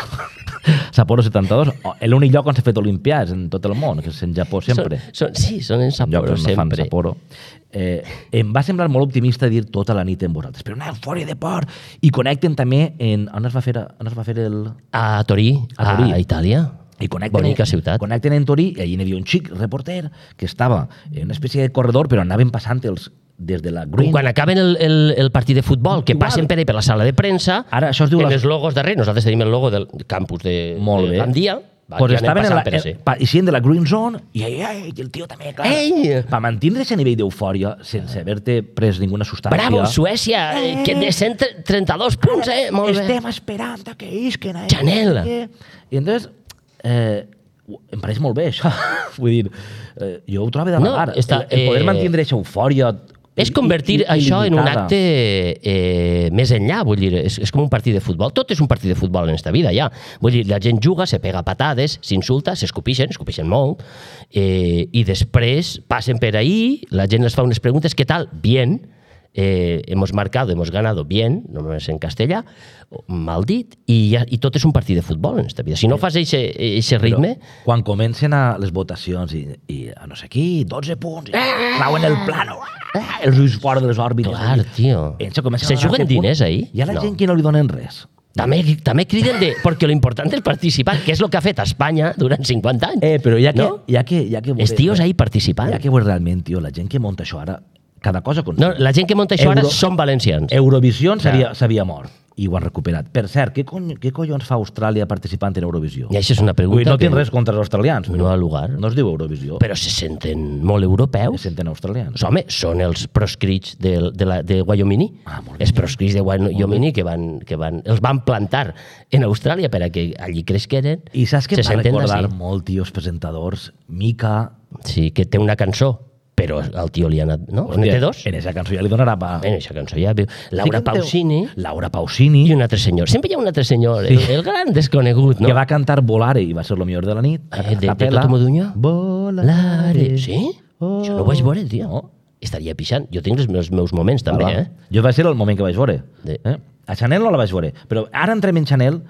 Sapporo setanta-dos, l'únic lloc on s'ha fet olimpiades en tot el món, que és en Japó sempre. Són, són, sí, són en Llocs Sapporo on no fan sempre. Sapporo. Eh, em va semblar molt optimista dir tota la nit amb vosaltres, però una eufòria de por. I connecten també en... On es va fer, on es va fer el... A Torí, A Torí. a Itàlia. I connecten, Bonica ciutat. Connecten en Torí i allí hi havia un xic reporter que estava en una espècie de corredor, però anaven passant els des de la Com Green... quan acaben el, el, el partit de futbol, que Igual. passen per, ahí per la sala de premsa, Ara, això es diu en la- els logos darrere. Nosaltres tenim el logo del campus de, Molt de bé. Gandia. Va, Pues ja anem estaven en la, passant per ese. eh, pa, eixint de la Green Zone i, ai, ai, i el tio també, clar, Ei! per mantenir aquest nivell d'eufòria sense haver-te pres ninguna substància. Bravo, Suècia, eh, que de cent trenta-dos punts, eh? Molt bé. Estem esperant a que isquen. Eh? Chanel. I entonces, eh, em pareix molt bé, això. Vull dir, eh, jo ho trobo de No, vagar. està, el, el poder eh, mantenir aquesta eufòria És convertir i- i- això en un il·limitada. acte eh, més enllà, vull dir, és, és com un partit de futbol. Tot és un partit de futbol en esta vida, ja. Vull dir, la gent juga, se pega patades, s'insulta, s'escopixen, escopixen molt, eh, i després passen per ahí, la gent les fa unes preguntes, què tal? Bien, eh, hemos marcado, hemos ganado bien, només en castellà, mal dit, i, ja, i tot és un partit de futbol en esta vida. Si no fas aquest ritme... Però quan comencen a les votacions i, i a no sé qui, dotze punts, i clauen el plano, ah, els ulls fora de les òrbites. Clar, tio. Ells comencen Se a donar juguen aquest punt. diners ahí? Hi ha la No. gent que no li donen res. També, també criden de... Perquè lo important és participar, que és el que ha fet Espanya durant cinquanta anys. Eh, però ja que... No? Ja que, ja que Els tios ahí participant. Ja que veure realment, tio, la gent que munta això ara, cada cosa... Con... No, la gent que munta això ara Euro- són valencians. Eurovisió Clar. s'havia s'havia mort i ho han recuperat. Per cert, què, cony, què collons fa Austràlia participant en Eurovisió? I això és una pregunta Vull dir, no que tinc res contra els australians, no però ha lugar. no es diu Eurovisió, Però se senten molt se europeus. senten australians. Home, són els proscrits de, de, la, de Wyoming. Ah, molt bé. Els proscrits de Wyoming que van, que van, els van plantar en Austràlia per a que allí cresqueren. I saps què se em va senten recordar d'ací. molt, tio, els presentadors? Mica... Sí, que té una cançó, però al tio li ha anat... No? On té dos? En aquesta cançó ja li donarà pa... En aquesta cançó ja viu. Laura Sí que en té- Pausini Laura Pausini, i un altre senyor. Sempre hi ha un altre senyor, Sí. el, el gran desconegut, no? que va cantar Volare i va ser lo millor de la nit. Eh, de- de Capella. Toto Modugno? Volare. Sí? Oh. Això no ho vaig veure, tio. No. Estaria pixant. Jo tinc els meus, meus moments, també, Ah, va. eh? Jo va ser el moment que vaig veure. De- Eh? A Chanel no la vaig veure, però ara entrem en Chanel,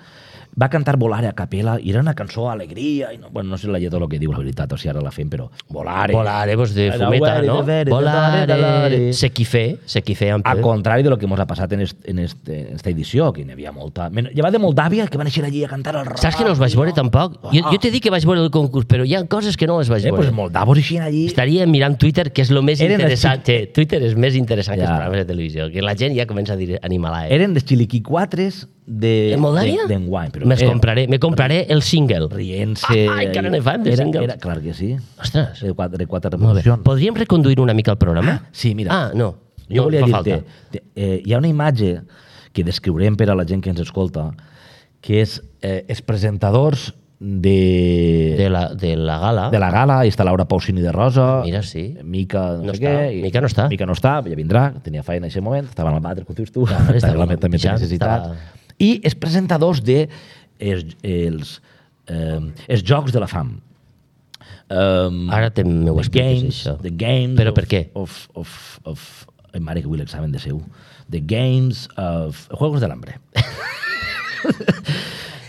va cantar Volare a capella i era una cançó alegria, i no, bueno, no sé la lletra el que diu la veritat, o si ara la fem, però Volare. Volare, pues de Era fumeta, volare, no? de veres, de Volare, volare, volare. se quifé, se quifé amb Al contrari de lo que ens ha passat en, est, en, est, en esta edició, que n'hi havia molta... Men- Llevat de Moldàvia, que van néixer allí a cantar el rock. Saps que no els vaig veure tampoc? Jo, jo t'he dit que vaig veure el concurs, però hi ha coses que no les vaig Eh, veure. pues moldavos eixien allí... Estaria mirant Twitter, que és el més Eren els interessant. Eh, Twitter és més interessant que els Ja. programes de televisió, que la gent ja comença a dir animalae. Eren els xiliquiquatres de... En Moldàvia? de- d'enguany. però Me'ls eren compraré, me compraré el single. Rient-se... Ah, encara ne fan, de era, singles. era, clar que sí. Ostres, De quatre, de quatre molt bé. revolucions. Podríem reconduir una mica el programa? Sí, mira. Ah, no. Jo no, volia fa dir-te, falta. te- eh, hi ha una imatge que descriurem per a la gent que ens escolta, que és eh, els presentadors de, De la, de la gala. de la gala, i està Laura Pausini de Rosa, Mira, sí. Mica no, No sé està. què, i- Mica no està. Mica no està, ja vindrà, tenia feina en aquest moment, estava en el vàter, com dius tu, Clar, estava estava també té pixant, necessitats. estava- I els presentadors de els, els, eh, els Jocs de la Fam. Um, Ara te m'ho the expliques, games, això. The games Però of, per què? Of, of, of, ai, mare, que vull l'examen de seu. The games of... Juegos del Hambre.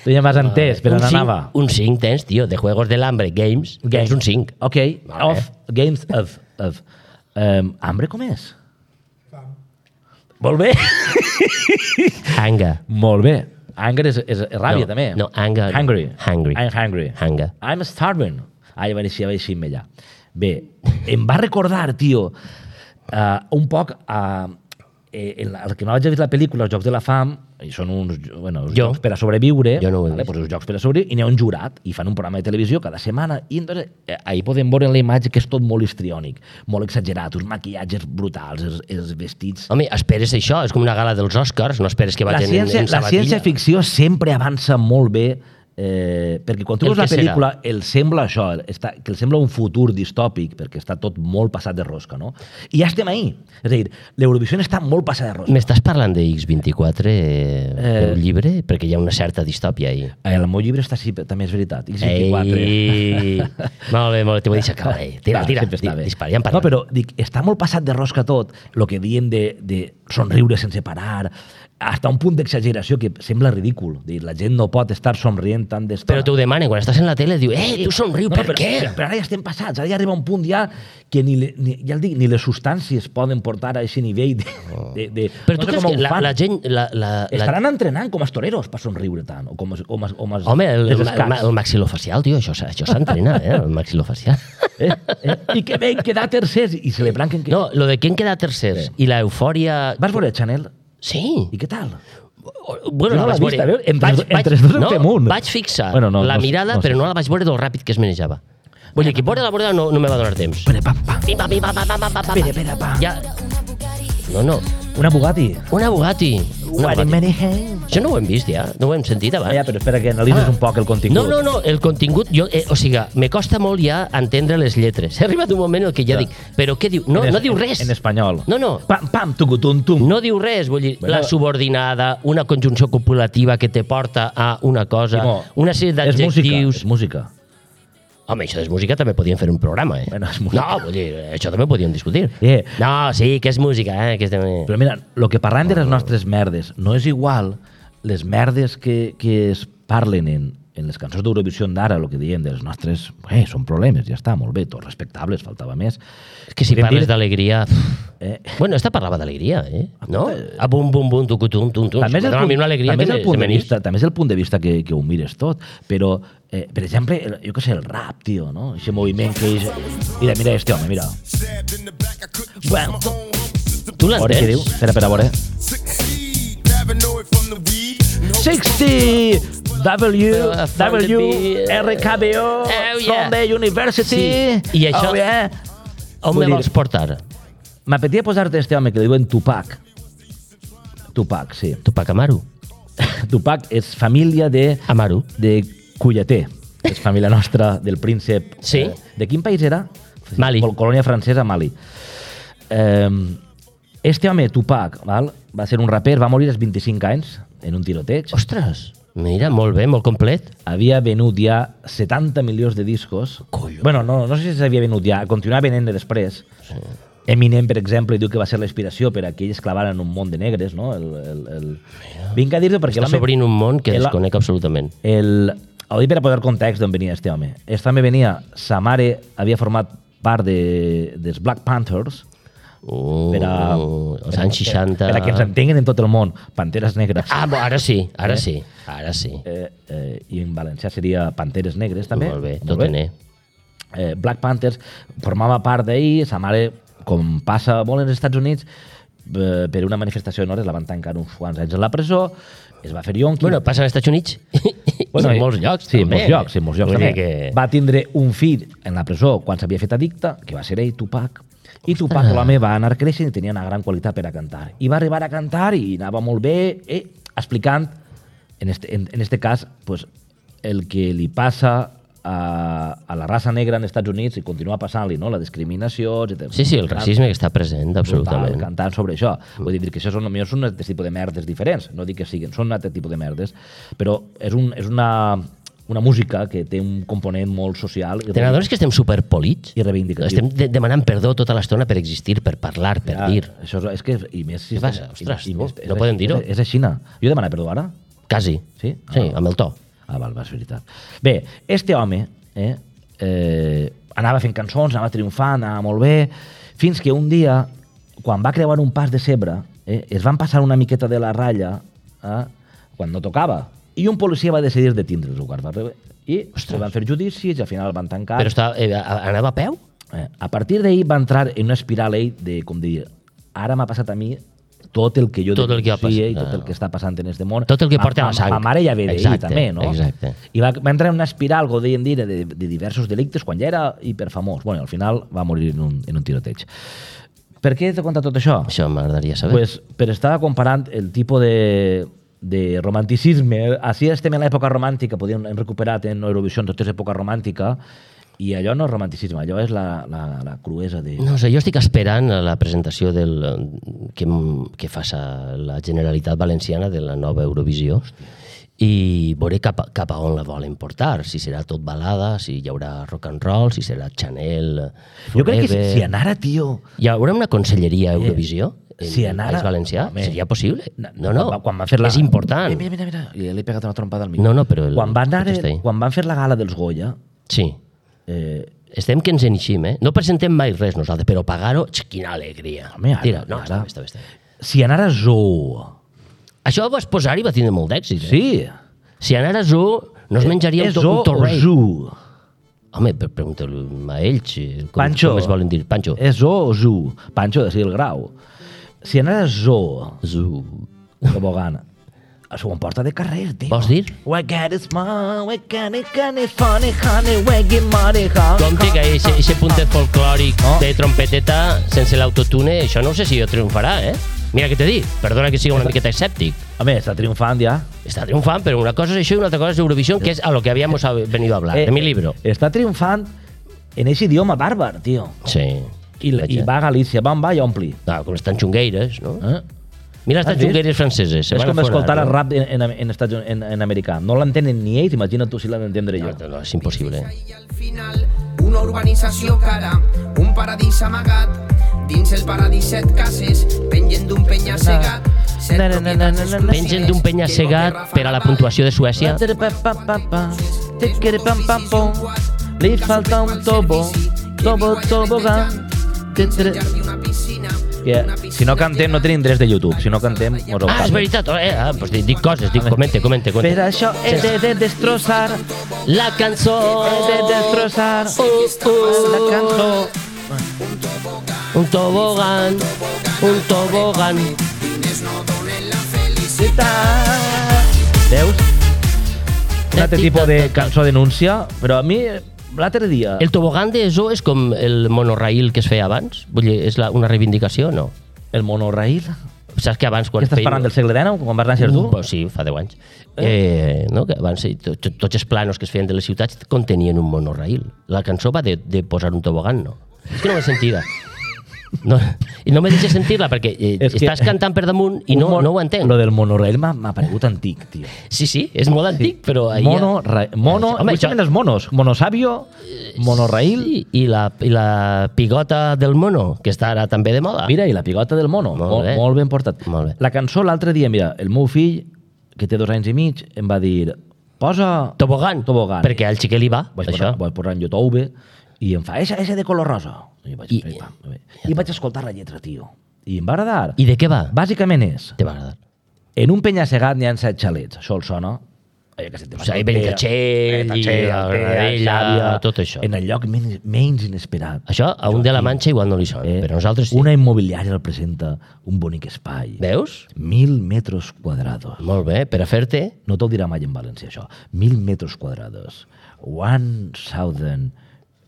tu ja m'has entès, però un no cinc- anava. Un cinc tens, tio, de Juegos del Hambre, Games, tens un cinc. Ok, Vale. of, games of... of um, hambre com és? Molt bé. Hanga. Molt bé. Anger és, és, és ràbia, No, també. no, anger- Hungry. hungry. I'm hungry. Hanga. I'm starving. Ah, ja va néixer, ja va néixer allà. Bé, em va recordar, tio, uh, un poc a... Uh, el, el que no hagi vist la pel·lícula, els Jocs de la Fam, i són uns, bueno, uns Jo. jocs per a sobreviure, Jo no ho he vale? vist. Pues uns jocs per a sobreviure, i n'hi ha un jurat, i fan un programa de televisió cada setmana, i entonces, eh, ahí podem veure en la imatge que és tot molt histriònic, molt exagerat, uns maquillatges brutals, els, els vestits... Home, esperes això, és com una gala dels Oscars, no esperes que La vagin ciència, en, en la sabatilla. ciència-ficció sempre avança molt bé Eh, perquè quan tu El veus la que pel·lícula el sembla això, està, que el sembla un futur distòpic, perquè està tot molt passat de rosca, no? I ja estem ahí. És a dir, l'Eurovisió està molt passada de rosca. M'estàs parlant de X vint-i-quatre, eh, eh... el llibre? Perquè hi ha una certa distòpia ahí. El meu llibre està, sí, també és veritat. X vint-i-quatre. Ei! molt bé, molt bé, t'ho vull deixar acabar. Eh? Tira, Va, tira, sempre està bé. dispara, ja en parlem. No, però dic, està molt passat de rosca tot, el que diem de, de somriure sense parar, hasta un punt d'exageració que sembla ridícul. Dir, la gent no pot estar somrient tant d'estona. Però t'ho demanen, quan estàs en la tele, diu, eh, tu somriu, no, per però, què? Però, però ara ja estem passats, ara ja arriba un punt ja que ni, le, ni, ja el dic, ni les substàncies poden portar a aquest nivell de... de, de Però no tu sé creus com que ho la, fan. la gent... La, la, Estaran la... entrenant com els toreros per somriure tant, o com, com, com els, Home, el, els el, el, el maxilofacial, tio, això, això s'entrena, eh, el maxilofacial. Eh, eh? I que ven quedar tercers i celebrant que... No, lo de que en queda tercers Sí. i la eufòria... Vas veure Chanel? Sí. I què tal? Bueno, Jo no la l'he vaig vist, a veure. veure, entre- Vaig- entre vaig- dos en no, fem un. Vaig fixar Bueno, no, la no sé, mirada, no sé. però no la vaig veure del ràpid que es manejava. Vull dir, que veure la borda no, no me va donar temps. Pere, pam, pam. Pim, pam, pim, pam, pam, pam, pam, pam. Pere, pere, pam. Ja... No, no. Una Bugatti. Una Bugatti. Una What in Bugatti. many hands. Això no ho hem vist ja, no ho hem sentit abans. Ah, ja, però espera que analitzes Ah. un poc el contingut. No, no, no, el contingut, jo, eh, o sigui, me costa molt ja entendre les lletres. He arribat un moment en el que ja Ja. dic, però què diu? No, En es- no diu res. En espanyol. No, no. Pam, pam, tucutum, tum. No diu res, vull dir, Bueno. la subordinada, una conjunció copulativa que te porta a una cosa, Simó, una sèrie És música, d'adjectius... és música. Home, això de música també podien fer un programa, eh? Bueno, és música. No, vull dir, això també podíem discutir. Eh. No, sí, que és música, eh? Que estem... Però mira, el que parlem de les nostres merdes no és igual les merdes que, que es parlen en, en les cançons d'Eurovisió d'ara, el que diem de les nostres... Eh, són problemes, ja està, molt bé, tots respectables, faltava més. És que si Podem parles dir- d'alegria... Eh, Bueno, esta parlava d'alegria, eh? No? A bum, bum, bum, tucu, tum, tum, tum. també és, el Dona a punt, mi una alegria també, que és el se- punt se de me n'ix. vista, també és el punt de vista que, que ho mires tot, però, eh, per exemple, el, jo què sé, el rap, tio, no? Aquest moviment que és... Mira, mira este home, mira. Bueno, Tu a veure què diu. l'entens? Espera, espera, a veure. seixanta W, W, R K B O, Oh, yeah. from the university. Sí. I això- Oh, yeah. On Vull me dir- vols portar? M'apetia posar-te este home que li diuen Tupac. Tupac, sí. Tupac Amaru. Tupac és família de, Amaru. de Culleter. És família nostra del príncep. Sí. Eh, de quin país era? Mali. Col- Colònia francesa, Mali. Eh, este home, Tupac, val? Va ser un raper, va morir als vint-i-cinc anys en un tiroteig. Ostres, mira, molt bé, molt complet. Havia venut ja setanta milions de discos. Collons. Bueno, no, no sé si s'havia venut ja, continuava venent-ne després. Sí. Eminem, per exemple, diu que va ser la inspiració per a que ells clavaren un món de negres, no? El, el, el... Vinc a dir-ho perquè... Està l'home- s'obrint un món que el- desconec absolutament. El... Ho dic per a posar context d'on venia este home. Este home venia... Sa mare havia format part de, dels Black Panthers, Uh, per a, els anys seixanta... per a que ens entenguin en tot el món. Panteres negres. Ah, bo, ara sí, ara Eh? sí, ara sí. Eh, eh, I en valencià seria Panteres negres, també. Molt bé, tot en E. Eh, Black Panthers formava part d'ahir, sa mare, com passa molt als Estats Units, eh, per una manifestació d'hores la van tancar uns quants anys a la presó, es va fer yonqui. Bueno, passa als Estats Units Bueno, i en i- molts llocs. Sí, en també. molts llocs, sí, en molts llocs Vull també. dir que... Va tindre un fill en la presó quan s'havia fet addicte, que va ser ell, Tupac, i Tupac, Ostres. l'home, va anar creixent i tenia una gran qualitat per a cantar. I va arribar a cantar i anava molt bé, eh, explicant, en este, en, en este cas, pues, el que li passa a, a la raça negra en Estats Units i continua passant-li, no? La discriminació, etcètera. Sí, sí, el racisme que està present, Brutal, absolutament. cantant sobre això. Vull dir que això són, potser són un altre tipus de merdes diferents. No dic que siguin, són un altre tipus de merdes. Però és, un, és una, una música que té un component molt social i, Te n'adones que estem superpolits? i reivindicatiu. Estem de demanant perdó tota l'estona per existir, per parlar, per Ja, dir. Això és, és que, i més... Si Què passa? Ostres, i, i tu, més, no podem dir-ho. És, és així. Jo he demanat perdó ara? Quasi. Sí? Sí, Ah. amb el to. Ah, val, va, és veritat. Bé, este home eh, eh, anava fent cançons, anava triomfant, anava molt bé, fins que un dia, quan va creuar un pas de cebre, eh, es van passar una miqueta de la ratlla eh, quan no tocava. I un policia va decidir detindre'ls, ho va rebre. I Ostres. se van fer judicis i al final el van tancar. Però està, eh, anava a peu? Eh, a partir d'ahir va entrar en una espiral ell de, com dir, ara m'ha passat a mi tot el que jo Tot el que ha denuncie i passat. tot el que està passant en este món. Tot el que porta Ma- la sang. Ma mare ja ve d'ahir Exacte, també, no? exacte. I va, va entrar en una espiral, com deien dir, de, de diversos delictes quan ja era hiperfamós. Bueno, al final va morir en un, en un tiroteig. Per què t'he contat tot això? Això m'agradaria saber. Pues, per estar comparant el tipus de, de romanticisme. Així estem en l'època romàntica, podíem hem recuperat en Eurovisió tota l'època romàntica, i allò no és romanticisme, allò és la, la, la cruesa de... No sé, jo estic esperant la presentació del, que, que faça la Generalitat Valenciana de la nova Eurovisió i veuré cap, a- cap a on la volen portar, si serà tot balada, si hi haurà rock and roll, si serà Chanel, Jo crec que si, Forever. si anara, tio... Hi haurà una conselleria a Eurovisió? En si el anara- País Valencià? Home. Seria possible? No, no, Quan, quan van fer la... és important. Mira, mira, mira, mira. Li he pegat una trompada al micro. No, no, però el- Quan van, anar, tot està ahí. quan van fer la gala dels Goya, Sí. eh, Estem que ens enixim, eh? No presentem mai res nosaltres, però pagar-ho, x, quina alegria. Home, ara, Tira, no, ara. està bé, està bé, està bé. si anara Zoo... Això ho vas posar i va tindre molt d'èxit. Eh? Sí. Si anara a Zoo, no es menjaria És un, to, Zoo un o torrell. Zoo? Home, per preguntar-li a ells eh, com, Pancho. com es volen dir. Pancho. És Zoo o Zoo? Pancho, de ser el grau. Si anara Zoo, Zoo. tobogana, s'ho emporta de carrer, tio. Vols dir? We get it small, we get it, get it funny, honey, we get money, honey. Compte que aquest puntet folclòric No. de trompeteta sense l'autotune, això no sé si jo triomfarà, eh? Mira què t'he dit, perdona que sigui una miqueta escèptic. Home, està triomfant ja. Està triomfant, però una cosa és això i una altra cosa és Eurovisión, que és a lo que habíamos venido a hablar, Eh, de mi libro. Està triomfant en aquest idioma bàrbar, tio. Sí. I, i va a Galícia, va, va i ompli. Ah, com estan xungueires, no? Eh? Mira les Has vist? xungueires franceses. se És van com a forar, escoltar no? el rap en, en, en, Estats Units, en, en americà. No l'entenen ni ells, imagina't tu si l'han d'entendre jo. No, no, és impossible. I al final, una urbanització cara, un paradís amagat, dins el paradís set cases, pengen d'un penya-segat. set Na, na, na, na, na, na, na. Pengen d'un penya-segat per a la puntuació de Suècia. Li falta un tobo, tobo, tobogán. Yeah. Si no cantem, no tenim drets de YouTube. Si no cantem, mos ho Ah, és paguen. veritat. Eh, ah, pues dic, dic coses, dic, comente, comente, Per comente. això he de, de destrossar, La cançó. he de destrossar Uh, uh, la cançó. Un tobogán, un tobogán. Veus? Un altre tipus de cançó denúncia, però a mi l'altre dia... El tobogán de Zoo és com el monorail que es feia abans? Vull dir, és la, una reivindicació o no? El monorail? Saps que abans quan Què estàs feien- parlant del segle dinou, quan vas néixer tu? Uh, pues sí, fa deu anys. Eh, no? Que abans eh, to, to, tots els planos que es feien de les ciutats contenien un monorail. La cançó va de, de posar un tobogán, no? És que no l'he sentida. No, I no me deixes sentir-la perquè eh, És que- estàs cantant per damunt i no, Un mon- no ho entenc. Lo del monorail m'ha m'ha paregut antic, tio. Sí, sí, és molt antic, però... ahir- Mono, ra, mono, Home, Home, això- els monos. Monosabio, monorail... Sí, i la, i la pigota del mono, que està ara també de moda. Mira, i la pigota del mono. Molt Molt, bé. molt ben portat. Molt bé. La cançó l'altre dia, mira, el meu fill, que té dos anys i mig, em va dir, posa... Tobogán, Tobogán. perquè al xiquet li va, Vaig això. posar, vaig posar en YouTube i em fa, ese, ese de color rosa. I vaig, I- I, pam, I vaig escoltar la lletra, tio. I em va agradar. I de què va? Bàsicament és, Te va agradar. en un penya-segat n'hi ha set xalets. Això el sona? Eh, que se te O sigui, Benitatxell i la Granadella, tot això. En el lloc menys, menys inesperat. Això a un de la Manxa igual no li sona, Eh, però nosaltres sí. Una immobiliària el presenta un bonic espai. Veus? Mil metres quadrados. Molt bé, per a fer-te... No te'l dirà mai en valencià, això. Mil metres quadrados. One thousand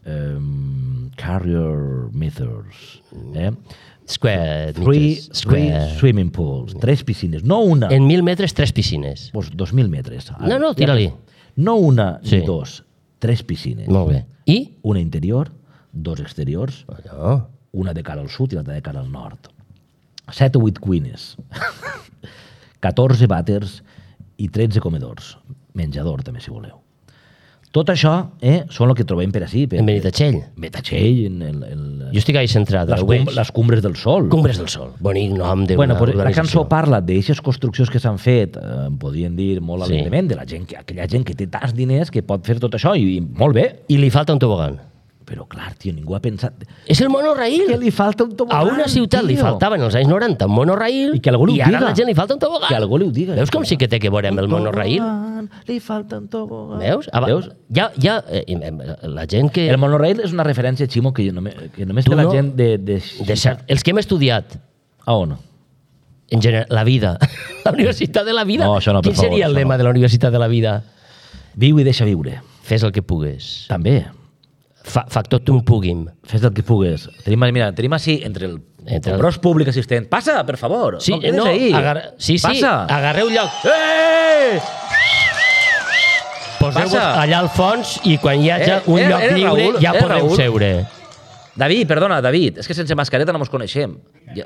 um, carrier meters. Eh? Square Three, meters. three Square. swimming pools. Tres piscines. No una. En mil metres, tres piscines. Pues dos mil metres. No, no, tira-li. No una Sí. ni dos. Tres piscines. Molt bé. I? Una interior, dos exteriors, Allò. una de cara al sud i l'altra de cara al nord. Set o vuit cuines. catorze vàters i tretze comedors. Menjador, també, si voleu. Tot això eh, són el que trobem per ací. Per, En Benitatxell. Benitatxell, en el, el, Jo estic ahí centrat. les, ho cum, veig. les cumbres del sol. Cumbres del Sol. Bonic nom de Bueno, una pues, la organització. cançó parla d'aixes construccions que s'han fet, eh, podríem dir molt Sí. alegrement, de la gent que, aquella gent que té tants diners que pot fer tot això, i, i molt bé. I li falta un tobogán. Però, clar, tio, ningú ha pensat... És el monorail. Que li falta un tobogán, A una ciutat li tio. faltava en els anys noranta un monorail I que algú li ho i ara diga. a la gent li falta un tobogán. Que algú li ho diga. Veus com sí que té que veure amb el monorail? Tobogán, li falta un tobogán. Veus? Aba- Veus? Ja, ja, eh, eh, la gent que... El monorail és una referència, Ximo, que només, que només Tu té la no- gent de... de, de cert, els que hem estudiat A on? en general, la vida, la universitat de la vida. No, això no, per Quin favor, seria el això lema no. de la universitat de la vida? Viu i deixa viure. Fes el que pugues. També. Fa, factor tum puguim. Fes el que pugues. Tenim, mira, tenim així, entre el Entre el- Compros públic assistent. Passa, per favor. Sí, no quedes no, ahí. agar... sí, sí, Passa. agarreu lloc. Eh! Poseu-vos Passa. allà al fons i quan hi hagi Eh, un era- lloc era lliure Raül, ja era podeu Raül. seure. David, perdona, David. És que sense mascareta no mos coneixem. Ja.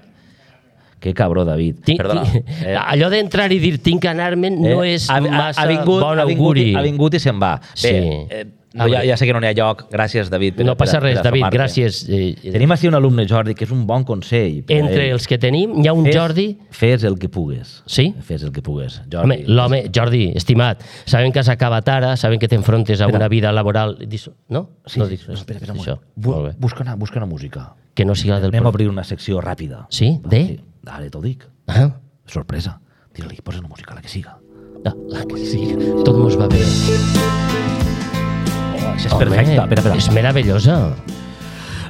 Que cabró, David. Tinc, Perdona. tinc, Eh, allò d'entrar i dir tinc que anar-me'n no eh, és ha, ha, massa ha vingut, bon ha vingut, auguri. ha vingut i se'n va. Bé, Sí. eh, no, ja, ja sé que no n'hi ha lloc. Gràcies, David. Per, No passa per, res, per David, assomar-te. gràcies. Eh, Tenim així un alumne, Jordi, que és un bon consell. per a Entre ell. els que tenim, hi ha un Fes- Jordi... Fes el que pugues. Sí? Fes el que pugues. Jordi. Home, l'home, Jordi, estimat, sabem que has acabat ara, sabem que t'enfrontes a Espera. una vida laboral... Dis- No? Sí, no sí, dic res. espera, espera un Això. moment. Bu Molt bé. busca, una, busca una música. Que no siga del... Anem a pro- obrir una secció ràpida. Sí? Va, De? Sí. Ara t'ho dic. Ah, Sorpresa. Tira-li, posa una música, la que siga. la, la que sí. Tot mos va bé. Oh, això és Home, perfecte. Espera, espera. és meravellosa.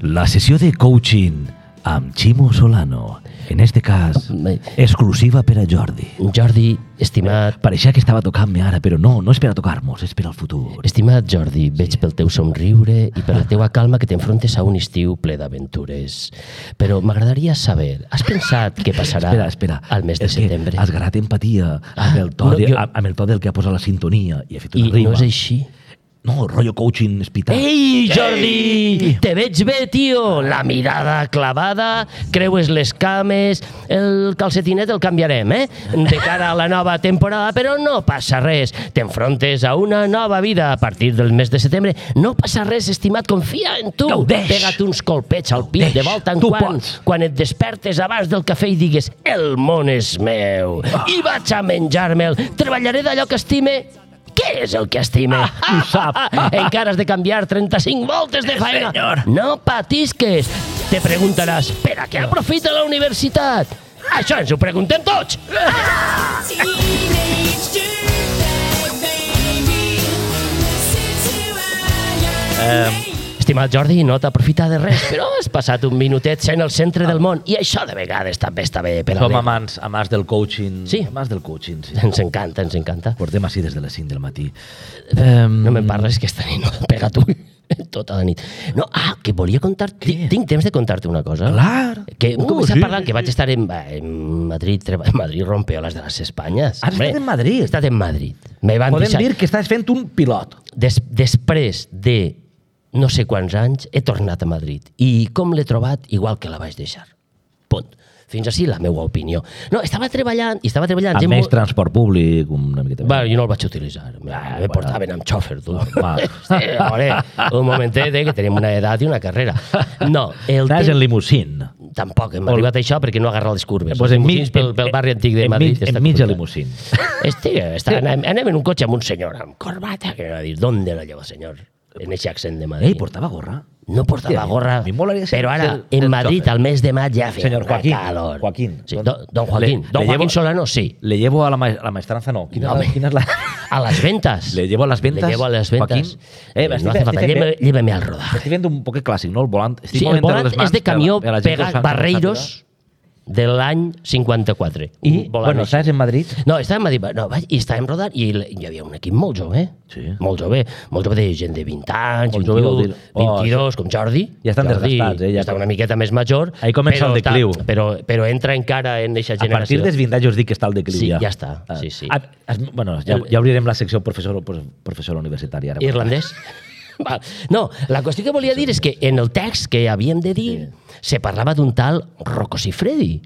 La sessió de coaching amb Ximo Solano. En este cas, Me- exclusiva per a Jordi. Jordi, estimat, Pareixia que estava tocant-me ara, però no, no és per a tocar-nos, és per al futur. estimat Jordi, veig pel teu somriure i per la teua calma que t'enfrontes a un estiu ple d'aventures. Però m'agradaria saber, has pensat què passarà Espera, espera. al mes de És que setembre? has ganat empatia amb el, to no, de, jo- amb el to del que ha posat la sintonia i ha fet una I rima. no és així? No, rotllo coaching hospital. Ei, Jordi! Te veig bé, tio! La mirada clavada, creues les cames, el calcetinet el canviarem, eh? De cara a la nova temporada, però no passa res. T'enfrontes a una nova vida a partir del mes de setembre. No passa res, estimat, confia en tu. Gaudeix. Pega't uns colpets al pit Gaudeix. de volta en Tu quan, pots. quan et despertes abans del cafè i digues el món és meu i vaig a menjar-me'l. Treballaré d'allò que estime. Què és el que estime? Ho sap. Encara has de canviar trenta-cinc voltes de feina. Senyor. No patisques. Te preguntaràs, per a què aprofita la universitat? Això ens ho preguntem tots. Eh, Estimat Jordi, no t'aprofita de res, però has passat un minutet sent el centre del món i això de vegades també està bé per a som l'ego. amants, amants del coaching. Sí. Amants del coaching, sí. Ens encanta, ens encanta. Portem així des de les cinc del matí. Eh, No me'n parles, que esta nit no pega tu tota la nit. No, ah, que volia contar... Tinc, tinc temps de contar-te una cosa. Clar. Que hem Uh, començat sí, parlant sí, que vaig estar en, en Madrid, treba- en Madrid rompeolas de les Espanyes. Has estat en Madrid? He estat en Madrid. Me van Podem deixar... dir que estàs fent un pilot. Des, després de no sé quants anys, he tornat a Madrid. I com l'he trobat? Igual que la vaig deixar. Punt. Fins així la meva opinió. No, estava treballant, i estava treballant... Amb gent més molt- transport públic, una miqueta més. Bueno, jo no el vaig utilitzar. Me, Ah, me bueno. portaven amb xòfer, tu. Normal. Sí, home, un momentet, eh, que tenim una edat i una carrera. No, el Estàs temps... en limusín. Tampoc, hem arribat a això perquè no agarra les curves. Pues Els en mig, limusins pel, pel barri antic de en Madrid. mig, està en mig de complicat. limusín. Este, està, anem, anem en un cotxe amb un senyor amb corbata, que va dir, ¿dónde la lleva, senyor? En ese accent de Madrid. Ei, portava gorra? No portava Hòstia, gorra, a mi molaria ser- però ara, ser- en ser Madrid, xòfer. al mes de maig, ja feia Senyor una Joaquín, calor. Joaquín. Sí, don, don Joaquín. Le- don le Joaquín llevo- Solano, sí. Le llevo a la, ma la maestranza, no. Quina, No, home. quina és la... A las ventas. Le llevo a las ventas. Le llevo a las ventas. Joaquín. Eh, Eh, estic- no hace falta, estic- llévame, llévame al rodaje. Estic fent un poquet clàssic, no? El volant. Estic Sí, el movent volant les mans és de camió per a la gent que ho pegat sap, Barreiros de l'any cinquanta-quatre. I, Un volant bueno, així. estàs en Madrid? No, estàvem a dir, no, vaig, i estàvem rodant i l- hi havia un equip molt jove, Sí. molt jove, molt jove de gent de vint anys, Molt jove vol vint i u, dir- oh, vint-i-dos, com Jordi. Ja estan Jordi desgastats, eh, ja ja està com- una miqueta més major. Ahí comença però el decliu. Està, però, però entra encara en eixa A generació. partir dels vint anys us dic que està al decliu. Sí, ja. ja està, sí, sí. Ah, has- bueno, ja, ja obrirem la secció professor, professora universitària. Ara. Irlandès? Val. No, la qüestió que volia dir és que en el text que havíem de dir se parlava d'un tal Rocco Siffredi.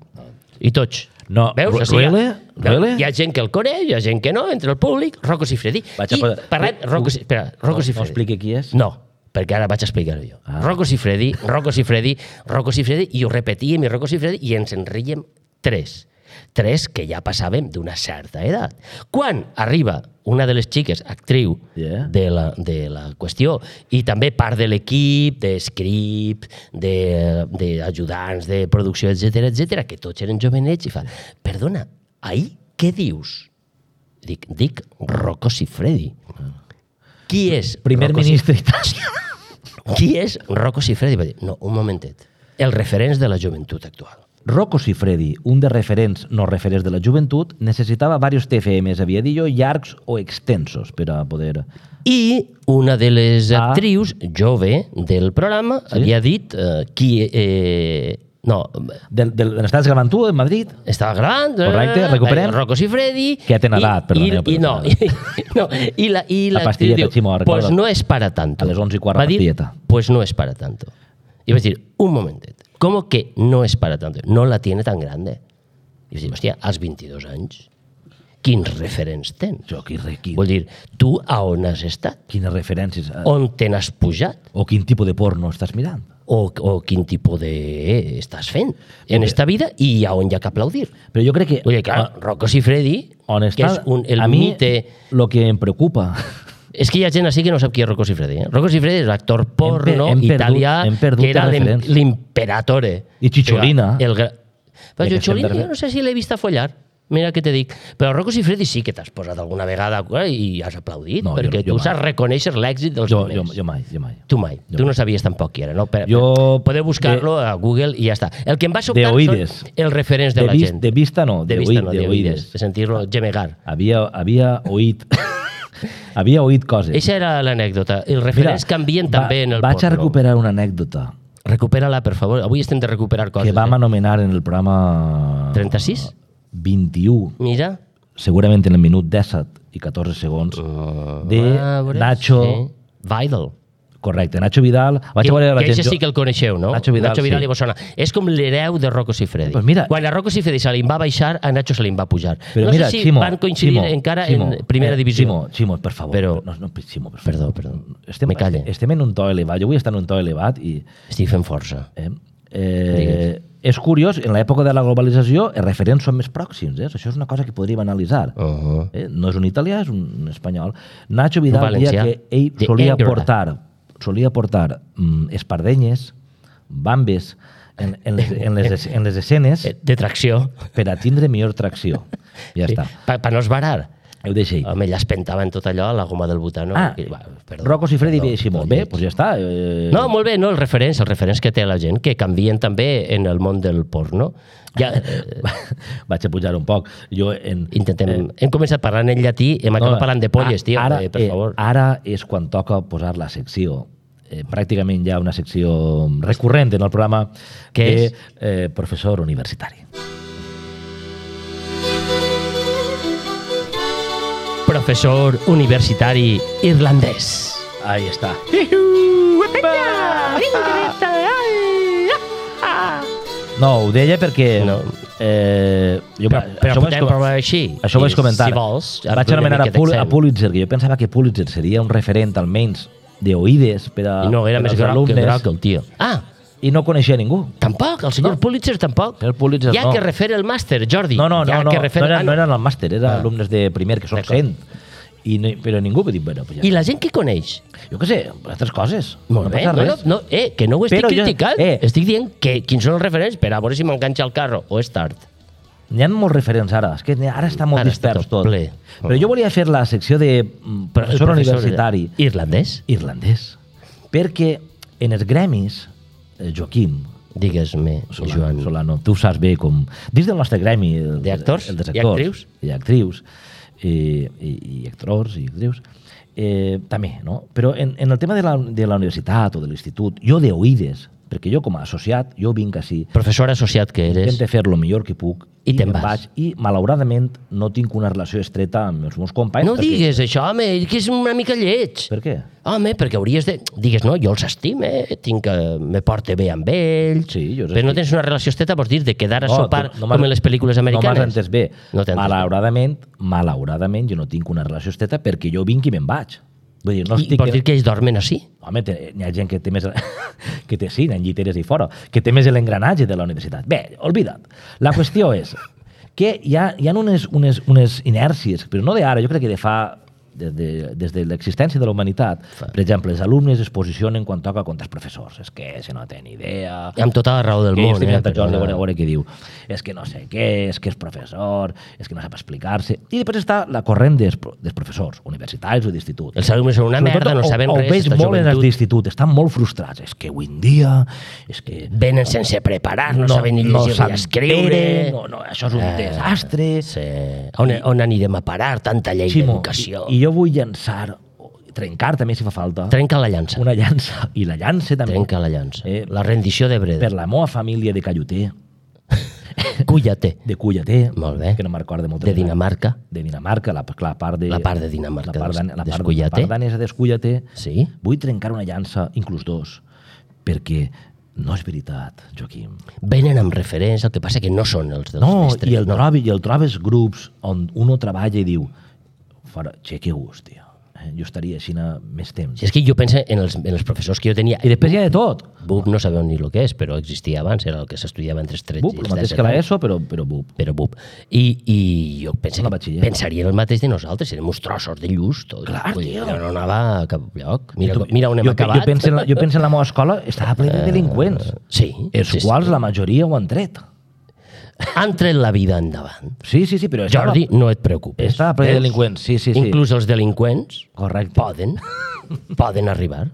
I tots. No, Veus? Ru- O sigui, really? hi ha- Really? Hi ha gent que el coneix, hi ha gent que no, entre el públic, Rocco Siffredi. Vaig a I posar- parlem, Rocco, Si- espera, Rocco No, no Siffredi. expliqui qui és? No, perquè ara vaig a explicar-ho jo. Ah. Rocco Siffredi, Rocco Siffredi, Rocco Siffredi, i ho repetíem, i Rocco Siffredi, i ens en ríiem tres. Tres que ja passàvem d'una certa edat. Quan arriba una de les xiques, actriu Yeah. de, la, de la qüestió, i també part de l'equip, de script, d'ajudants, de, de producció, etcètera, etcètera, que tots eren jovenets, i fa, perdona, ahir què dius? Dic, dic Rocco Siffredi. Qui és Primer Rocco ministre Siffredi? Qui és Rocco Siffredi? Va dir, no, un momentet. Els referents de la joventut actual. Rocco Siffredi, un dels referents no referents de la joventut, necessitava varios T F Ms, havia dit jo, llargs o extensos per a poder... I una de les Ah. actrius jove del programa Sí? havia dit eh, qui eh, No, Del, del, de l'Estat gravant tu, en Madrid? estava gravant. Correcte, recuperem. Rocco Siffredi. Que ja té edat, i- perdoneu, i, i, no, però- i, no, i la, i La la pastilleta, actriu diu, Ximo, pues recorda't. no es para tanto. A les onze i quart, Va dir, pastilleta. pues no es para tanto. Y vas a decir, un momentet, ¿cómo que no es para tanto? No la tiene tan grande. I vas dir, hòstia, als vint-i-dos anys, quins referents tens? Jo, qui, qui, Vull dir, tu a on has estat? quines referències... eh, On te n'has pujat? O quin tipus de porno estàs mirant? O, o quin tipus de eh, estàs fent en esta vida i a on hi ha que aplaudir. Però jo crec que... Vull dir, clar, Rocco Siffredi, on que està, és un, el a mi, mite... el que em preocupa... És que hi ha gent així que no sap qui és Rocco Siffredi. Eh? Rocco Siffredi és l'actor porno hem perdut- italià hem perdut que era els l'im- referents. l'imperatore. I Cicciolina. El, gra- però Ja que estem Cicciolina darrere. jo no sé si l'he vist a follar. Mira què te dic. Però Rocco Siffredi sí que t'has posat alguna vegada eh, i has aplaudit, No, perquè jo- jo tu mai. saps reconèixer l'èxit dels Jo, jo, moments. jo mai, jo mai. Tu mai. Jo tu no mai. sabies tampoc qui era, no? Per, Jo- podeu buscar-lo a Google i ja està. El que em va De sobtar oïdes. són els referents de, De, la vis, gent. de vista no, de de, vista oïd, no, de de oïdes. oïdes. De sentir-lo gemegar. Havia, havia oït... havia oït coses. Eixa era l'anècdota. Els referents canvien també en el vaig porno. a recuperar una anècdota Recupera-la, per favor. Avui estem de recuperar coses. que vam eh? anomenar en el programa... trenta-sis? vint-i-u, Mira. segurament en el minut disset i catorze segons, de A veure, Nacho... Sí. Vidal. Correcte, Nacho Vidal... Vaig Que, a veure la que gent... eixe sí que el coneixeu, no? Nacho Vidal, Nacho Vidal sí. i vos sona. És com l'hereu de Rocco Siffredi. Pues mira- Quan a Rocco Siffredi se li va baixar, a Nacho se li va pujar. Però no mira, sé si Ximo, van coincidir Ximo, encara Ximo, en primera eh, divisió. Ximo, Ximo, per favor. Però- No, no, Ximo, per favor. Perdó, perdó. Estem, Me calle. estem en un to elevat. Jo vull estar en un to elevat i... Estic fent força. Eh, eh, és curiós, en l'època de la globalització els referents són més pròxims. Eh? Això és una cosa que podríem analitzar. Uh -huh. Eh? No és un italià, és un espanyol. Nacho Vidal Un deia valencià. que ell De solia Angora. portar, solia portar mm, espardenyes, bambes, en, en, les, en, les, en les escenes Eh, De tracció. per a tindre millor tracció. Ja Sí. està. Per pa no esbarar. Ho deixo ahí. Home, ella es pentava en tot allò, a la goma del butano. Ah, I, va, perdó, Rocco Siffredi perdó, ve així molt no, bé, doncs ja està. Eh, No, molt bé, no, els referents, els referents que té la gent, que canvien també en el món del porno. Ja, eh, Vaig a pujar un poc. Jo en, intentem... Eh, hem començat parlant en llatí, hem acabat parlant de polles, tio, ara, eh, per favor. Ara és quan toca posar la secció. Eh, pràcticament hi ha una secció recurrent en el programa Què de és? eh, professor universitari. Professor universitari irlandès. Ahí està. No, ho deia perquè... No. Eh, jo, Però, però això ho vaig podem com- provar així. Això ho vaig I comentar. Si vols, ara Vaig podem anomenar a, miqueta Pul a Excel. Pulitzer, que jo pensava que Pulitzer seria un referent almenys d'oïdes per a, I no, era per més als groc que alumnes, groc, el tio. Ah, i no coneixia ningú. tampoc, el senyor No. Pulitzer tampoc. El Pulitzer ja no. que refer el màster, Jordi. No, no, no, ja no, que no, refer... era, ah, no eren al màster, eren Ah. alumnes de primer, que són D'acord. cent. I no, però ningú va dir, bueno, pues ja I està. la gent que coneix? Jo què sé, altres coses. Molt no bé, passa no, no, res. no, eh, que no ho estic Però jo- criticant. eh. Estic dient que quins són els referents per a veure si m'enganxa el carro o és tard. N'hi ha molts referents ara, és que ara està molt Ara està dispers tot tot. ple. Però jo volia fer la secció de mm, Però el professor universitari irlandès? irlandès, perquè en els gremis, eh, Joaquim, Digues-me, Solano, Joan. Solano, tu saps bé com... Dins del nostre gremi... el- D'actors el dels i actors actrius? I actrius, i, i, i actors i actrius, eh, també, no? Però en, en el tema de la, de la universitat o de l'institut, jo de oïdes, perquè jo com a associat, jo vinc així, Professor associat que eres. intento fer el millor que puc I te'n me'n vas. vaig, i malauradament no tinc una relació estreta amb els meus companys. No ho perquè- digues, això, home, que és una mica lleig. Per què? Home, perquè hauries de... Digues, no, jo els estime, tinc que... me porte bé amb ells... Sí, jo els Però no estimo. tens una relació estreta, vols dir, de quedar a No, sopar tu no m'has- com en les pel·lícules americanes? No m'has entès bé. No t'he entès bé. malauradament, malauradament, jo no tinc una relació estreta perquè jo vinc i me'n vaig. Vull dir, no I estic... vols dir que ells dormen així? Home, te- n'hi ha gent que té més... que té, sí, n'hi ha lliteres i fora, que té més l'engranatge de la universitat. Bé, oblida't. La qüestió és que hi ha, hi ha unes, unes, unes inèrcies, però no d'ara, jo crec que de fa des de, des de l'existència de la humanitat. Per exemple, els alumnes es posicionen quan toca contra els professors. És que se no tenen idea... Amb tota la raó del que món, estic eh? mirant a Jordi, a Però- veure, a veure què diu. És que no sé què, és que és professor, és que no sap explicar-se. I després està la corrent dels, pro- dels professors, universitaris o d'institut. Els alumnes són una Sobretot merda, no ho- saben ho res, veig esta molt en els joventut. d'institut, estan molt frustrats. És que avui en dia, és que... Venen sense preparar, no, saben ni llegir ni escriure. No, no, això és un Eh, desastre. Sí. On, on anirem a parar tanta llei Ximo, d'educació? i, i jo vull llançar trencar també si fa falta. Trenca la llança. Una llança. I la llança també. Trenca la llança. Eh, La rendició de Breda. Per la meva família de Calloter, Cullater. de Cullater, Molt bé. que no me'n recordo molt. De Dinamarca. De Dinamarca, la, la part de... La part de Dinamarca, La part, des- dan- la part, d'Escullater. la part danesa d'Escullater. Sí. Vull trencar una llança, inclús dos, perquè no és veritat, Joaquim. Venen amb referents, el que passa que no són els dels No, mestres. i el, no. trobi, i el trobes grups on uno treballa i diu fora, che, que gust, tio. Eh, jo estaria així na- més temps. Si és que jo penso en els, en els professors que jo tenia. I després hi ha de tot. B U P no sabeu ni el que és, però existia abans, era el que s'estudiava entre els tretze B U P, i el els mateix disset que la anys. ESO, però, però B U P. Però B U P. I, i jo penso La que batxiller. pensaria el mateix de nosaltres, serem uns trossos de lluç. Tot. Clar, Vull dir, tio. Jo no anava a cap lloc. Mira, Tu- mira on hem jo, acabat. Jo penso, en la, jo penso en la meva escola, estava ple de delinqüents, Sí. els sí, quals sí. la majoria ho han tret. Han tret la vida endavant. Sí, sí, sí, però estava, Jordi, no et preocupes. estava ple de Veus? delinqüents, sí, sí, sí. Inclús els delinqüents Correcte. poden, poden arribar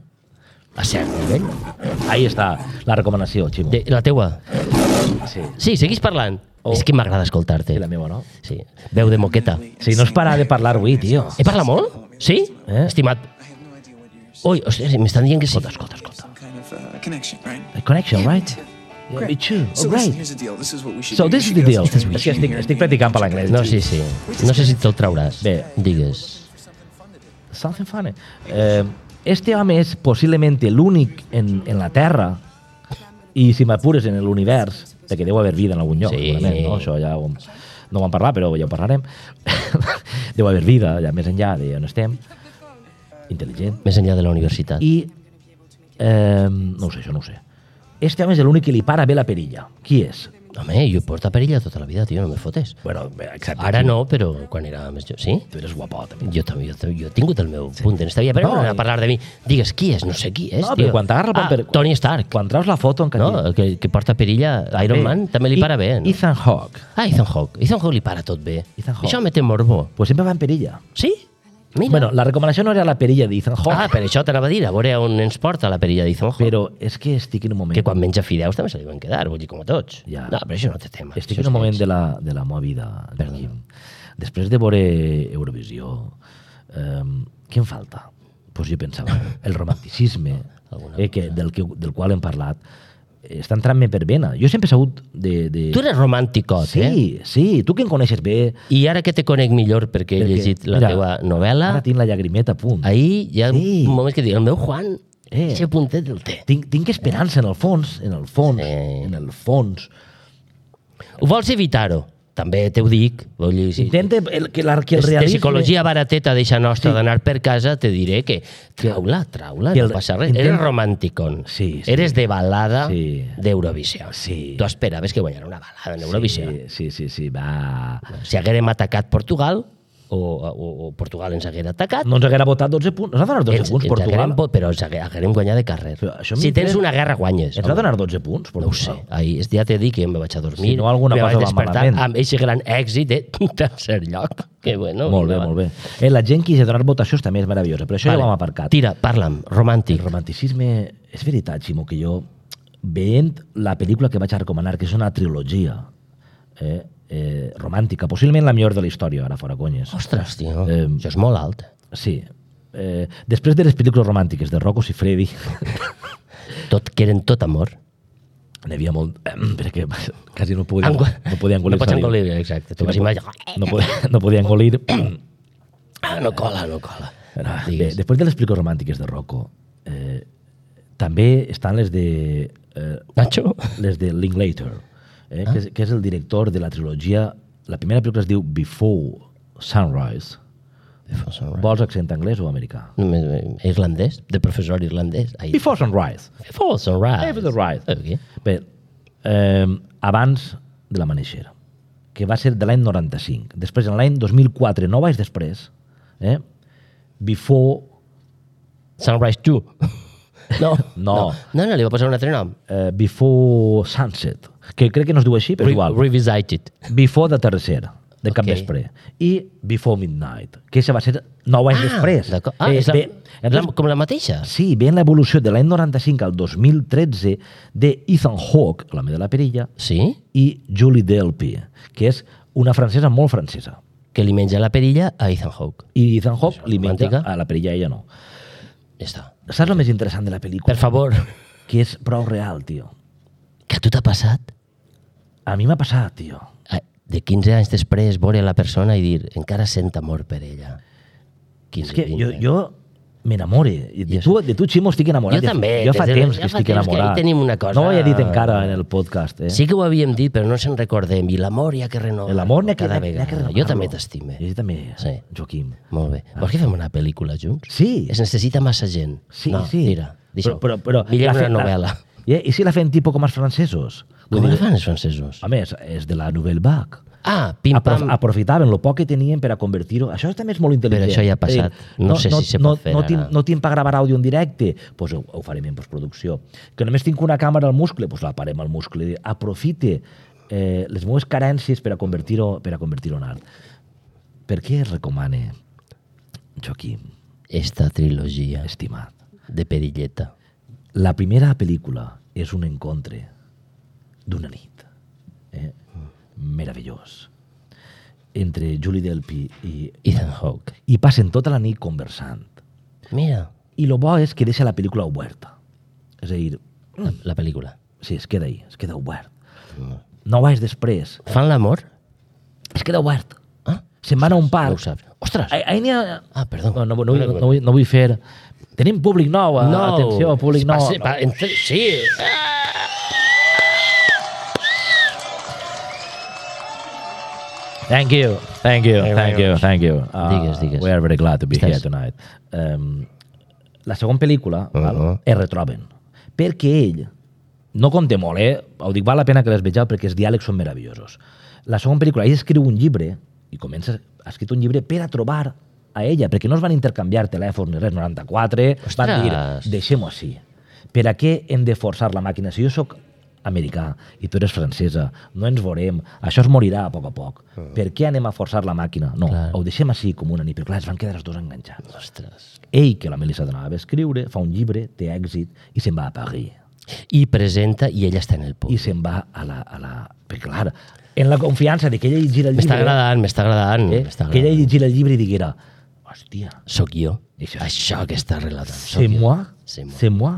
a cert nivell. Ahí està la recomanació, Ximo. De, la teua? Sí, Sí, seguís parlant. Oh. És que m'agrada escoltar-te. sí, la meva, no? Sí. Veu de moqueta. Sí, no es para de parlar avui, tio. He parlat molt? Sí? Eh? Estimat. Ui, ostres, m'estan dient que sí. Escolta, escolta, escolta. Some kind of uh, connection, right? A connection, right? Yeah, me too. So Oh, listen, great. here's the deal. This is what we should So do. this You is the should deal. get some És que information estic, here. estic practicant per l'anglès. No, sí, sí. No sé si te'l trauràs. Bé. Digues. Something funny. Eh, este home és possiblement l'únic en, en la Terra i, si m'apures, en l'univers, perquè deu haver vida en algun lloc, Sí. segurament, no? Això ja ho, no ho vam parlar, però ja ho parlarem. Deu haver vida, ja més enllà d'on estem. Intel·ligent. Més enllà de la universitat. I, eh, no ho sé, això no ho sé. Este home és l'únic que li para bé la perilla. Qui és? Home, jo he portat perilla tota la vida, tio, no me fotes. Bueno, exacte. Ara no, però quan era més jo... Sí? Tu eres guapot, també. Jo també, jo, també, jo he tingut el meu punt en esta vida, però No, no, no i- a parlar de mi. Digues, qui és? No sé qui és, No, tio. però quan t'agarra el ah, paper- Tony Stark. Quan traus la foto en No, el que, que porta perilla, Iron Man, també li para bé. No? Ethan Hawke. Ah, Ethan Hawke. Ethan Hawke li para tot bé. Ethan Hawke. Això me té morbo. Pues sempre va en perilla. Sí? Mira. Bueno, la recomanació no era la perilla d'Ethan Hawke, Ah, per això t'anava a dir, a veure on ens porta la perilla d'Ethan Hawke. però és que estic en un moment... Que quan menja fideus també se li van quedar, vull dir, com a tots. Ja. No, però això no té tema. Estic Això en un és moment lleig. de la, de la meva vida, Joaquim. Després de veure Eurovisió, eh, què em falta? Pues jo pensava, el romanticisme, Alguna eh, que, del, que, del qual hem parlat, eh, està entrant-me per vena. Jo sempre he sabut de... de... Tu eres romànticot, sí, eh? sí, tu que em coneixes bé... I ara que te conec millor perquè he perquè, llegit la mira, teva novel·la, Ara tinc la llagrimeta a punt. ahir hi ha Sí. un moment que dic, el meu Juan, Eh. ese puntet el té. Tinc, tinc esperança en el fons, en el fons, Sí. en el fons. Ho vols evitar-ho? També te ho dic. Vull dir, si, Intenta el, que, la, que el de realisme... psicologia barateta d'eixa nostra Sí. d'anar per casa, te diré que traula, traula, que no el- passa res. intenta- Eres romànticon. Sí, sí. Eres de balada Sí. d'Eurovisió. Sí. Tu esperaves que guanyara una balada en Eurovisió. Sí, sí, sí, sí, va... Si haguérem atacat Portugal, o, o, o Portugal ens haguera atacat, No ens haguera votat dotze punts. Ens ha donat dotze ens, punts, ens Portugal. haguérem, vo- però ens hagué- haguérem guanyat de carrer. Però això Si tens m'interessa. una guerra, guanyes. Ens ha donat dotze punts, No ho Portugal. sé. Ahir, ja t'he dit que em vaig a dormir. Si no, alguna me cosa vaig va despertar malament. amb aquest gran èxit de tercer lloc. Que bueno. Molt bé, endavant. molt bé. Eh, la gent que hi ha donat votacions també és meravellosa, però això Vale. ja ho hem aparcat. Tira, parla'm, romàntic. El romanticisme... És veritat, Ximo, que jo, veient la pel·lícula que vaig a recomanar, que és una trilogia eh, eh, romàntica, possiblement la millor de la història, ara fora conyes. Ostres, tio, Eh, això és molt alt. Sí. Eh, després de les pel·lícules romàntiques de Rocco Siffredi, Tot, que eren tot amor. n'hi havia molt... Eh, perquè quasi no podia, Engo- no podia engolir no pots saliva. engolir, exacte. Tu Sí, vas no, imaginar... no, podia, no podia engolir. Ah, no cola, no cola. Bé, Digues. després de les pel·lícules romàntiques de Rocco, eh, també estan les de... Eh, Nacho? les de Linklater, eh, que, és, que és el director de la trilogia... La primera pel·lícula es diu Before Sunrise. Vols accent anglès o americà? Només, eh, irlandès, de professor irlandès. Ai, Before Sunrise. Before sunrise. Before Sunrise. Okay. Bé, eh, abans de l'Amaneixer, que va ser de l'any noranta-cinc. Després, en l'any dos mil quatre, nou anys després, eh, Before... Sunrise two. No, No. no, no, li va posar un altre nom. Eh, Before Sunset, que crec que no es diu així, però Re igual. Revisited. Before the Tercer, de cap Ok. vespre. I Before Midnight, que això va ser nou anys després. D'acord. Ah, és la, bé, la, com la mateixa? sí, ve en l'evolució de l'any noranta-cinc al dos mil tretze de Ethan Hawke, l'home de la perilla, Sí? i Julie Delpy, que és una francesa molt francesa. que li menja la perilla a Ethan Hawke. I Ethan Hawke li menja romàntica. a la perilla, ella no. Ja està. Saps el més interessant de la pel·lícula? Per favor. Que és prou real, tio. Que a tu t'ha passat? A mi m'ha passat, tio. Eh, De quinze anys després, veure la persona i dir encara sent amor per ella. És que jo, jo m'enamore. De tu, de tu, Ximo, estic enamorat. Jo també. Jo fa des de- temps ja que fa estic temps que enamorat. ahí tenim una cosa- No ho he dit encara en el podcast. Eh? Sí que ho havíem dit, però no se'n recordem. I l'amor hi ha que renovar. L'amor n'hi ha que, cada n'hi ha- n'hi ha que vegada. renovar-lo. Jo també t'estime. Jo també, Sí. Joaquim. Molt bé. Vols que fem una pel·lícula junts? Sí. Es necessita massa gent. Sí, no, sí. Mira, deixa-ho. Però, però, però, Millor la una fe- la- novel·la. I, I si la fem tipus com els francesos? Vull Com la dir, fan els francesos? Home, és, és de la Nouvelle Vague. Ah, pim-pam. Aprof aprofitaven el poc que tenien per a convertir-ho. Això també és molt intel·ligent. Però això ja ha passat. És a dir, No sé si se no, pot fer no, ara. tinc, no tinc per gravar àudio en directe? Doncs pues ho, ho farem en postproducció. Que només tinc una càmera al muscle? Doncs pues la parem al muscle. Aprofite eh, les meves carències per a convertir-ho per a convertir-ho en art. Per què es recomana, Joaquim, Esta trilogia estimat? de perilleta. La primera pel·lícula és un encontre d'una nit. Eh? Meravellós. Entre Julie Delpy i, Ethan Hawke. i passen tota la nit conversant. Mira, I el bo és que deixa la pel·lícula oberta. És a dir, la, la pel·lícula. sí, es queda ahí, es queda obert. Nou anys després, Fan l'amor? es queda obert. Ah, Se'n van a un no parc. ho saps. Ostres! Ahí, ahí n'hi ha... Ah, perdó. No, no, no, vull, no, vull, no vull fer... Tenim públic nou, no, atenció, públic nou. Va ser- va, entre, sí. Thank you, thank you, Very thank you, much. thank you. Uh, Digues, digues. We are very glad to be Estàs- here tonight. Um, la segona pel·lícula, Uh-huh. val, es retroben. Perquè ell, no conté molt, eh? Ho dic, val la pena que les vegeu perquè els diàlegs són meravellosos. La segona pel·lícula, ell escriu un llibre, i comença a escriure un llibre per a trobar a ella, perquè no es van intercanviar telèfons ni res, noranta-quatre, van dir, Ostres. deixem-ho així. Per a què hem de forçar la màquina? Si jo sóc americà i tu eres francesa, no ens veurem, això es morirà a poc a poc. Per què anem a forçar la màquina? No, Clar. ho deixem així com una nit, però clar, es van quedar els dos enganxats. Ostres. Ell, que la Melissa donava a escriure, fa un llibre, té èxit, i se'n va a París. I presenta i ella està en el I públic. se'n va a la... A la... Perquè, clar, en la confiança de que ella llegira el M'està llibre... agradant, m'està agradant. Eh? m'està Que ella agradant. llegira el llibre i diguera, hòstia, Soc jo. Això- Això que està relatant. Soc c'est jo. moi, C'est moi. c'est moi.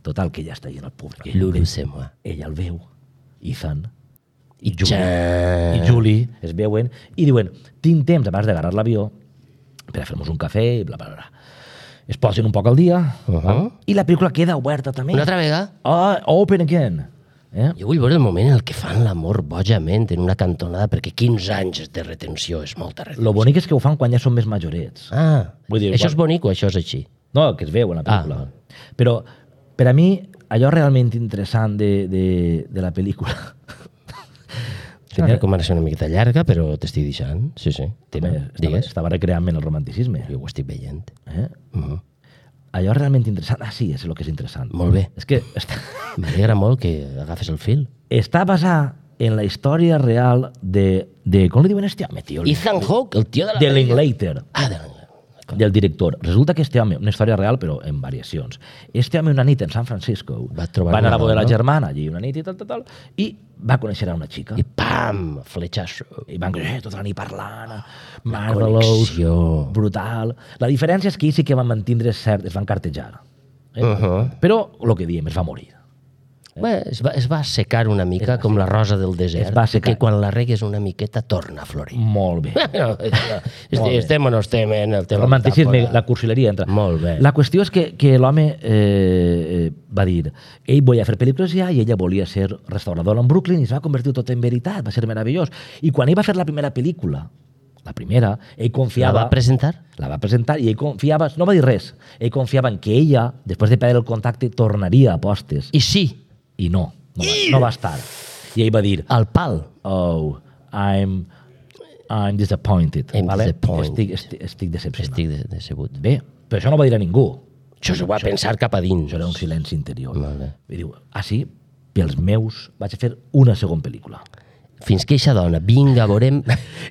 Total, que ja està allà en el públic. Ell el Lulu, veu. c'est moi. Ella el veu, Ethan, I Julie, ja... i Julie es veuen i diuen, tinc temps abans d'agarrar l'avió per a fer-nos un cafè i bla, bla, bla. Es posen un poc al dia Uh-huh. val? I la pel·lícula queda oberta també. Una altra vegada? Oh, open again. Eh? Jo vull veure el moment en el que fan l'amor bojament en una cantonada, perquè quinze anys de retenció és molta retenció. Lo bonic és que ho fan quan ja són més majorets. Ah, Vull dir, això igual- és bonic o això és així? No, que es veu en la pel·lícula. Ah. Però per a mi, allò realment interessant de, de, de la pel·lícula... És una recomanació una miqueta llarga, però t'estic deixant. Sí, sí. Tira, Home, estava, digues. estava recreant-me en el romanticisme. Jo ho estic veient. Eh? Uh -huh. Allò realment interessant... Ah, sí, és el que és interessant. Molt bé. És que està, M'alegra molt que agafes el fil. està basat en la història real de... de com li diuen este home, tio? Ethan Hawke, el tio de la... De pel·lícula. Linklater, Ah, de l'Englade. del director. Resulta que este home, una història real, però en variacions. Este home una nit en San Francisco Va trobar va anar a una veure la dona. germana allí una nit i tal, tal, tal, i va conèixer a una xica. I pam, fletxasso. I van eh, tota la nit parlant, marvelous, connexió. brutal. La diferència és que ells sí que van mantindre cert, es van cartejar. Eh? Uh-huh. Però, el que diem, es va morir. Bé, es, va, es va assecar una mica com la rosa del desert, Es va assecar. que quan la regues una miqueta torna a florir. Molt bé. No, Molt bé. estem o no estem en el tema. Romanticisme, metàfora. la cursileria entra. Molt bé. La qüestió és que, que l'home eh, eh, va dir ell volia fer pel·lícules ja i ella volia ser restauradora en Brooklyn i es va convertir tot en veritat, va ser meravellós. I quan ell va fer la primera pel·lícula, la primera, ell La confiava... va presentar? La va presentar i ell confiava... No va dir res. Ell confiava en que ella, després de perdre el contacte, tornaria a postes. I sí, I no, no va, no va estar. I ell va dir, al pal. oh, I'm, I'm disappointed. I'm vale? disappointed. Estic, estic, estic decepcionat. Estic de, decebut. Bé, però això no ho va dir a ningú. Això s'ho va pensar cap a dins. Això era un silenci interior. Molt bé. I diu, ah, sí? Pels meus vaig fer una segona pel·lícula. fins que eixa dona, vinga, veurem...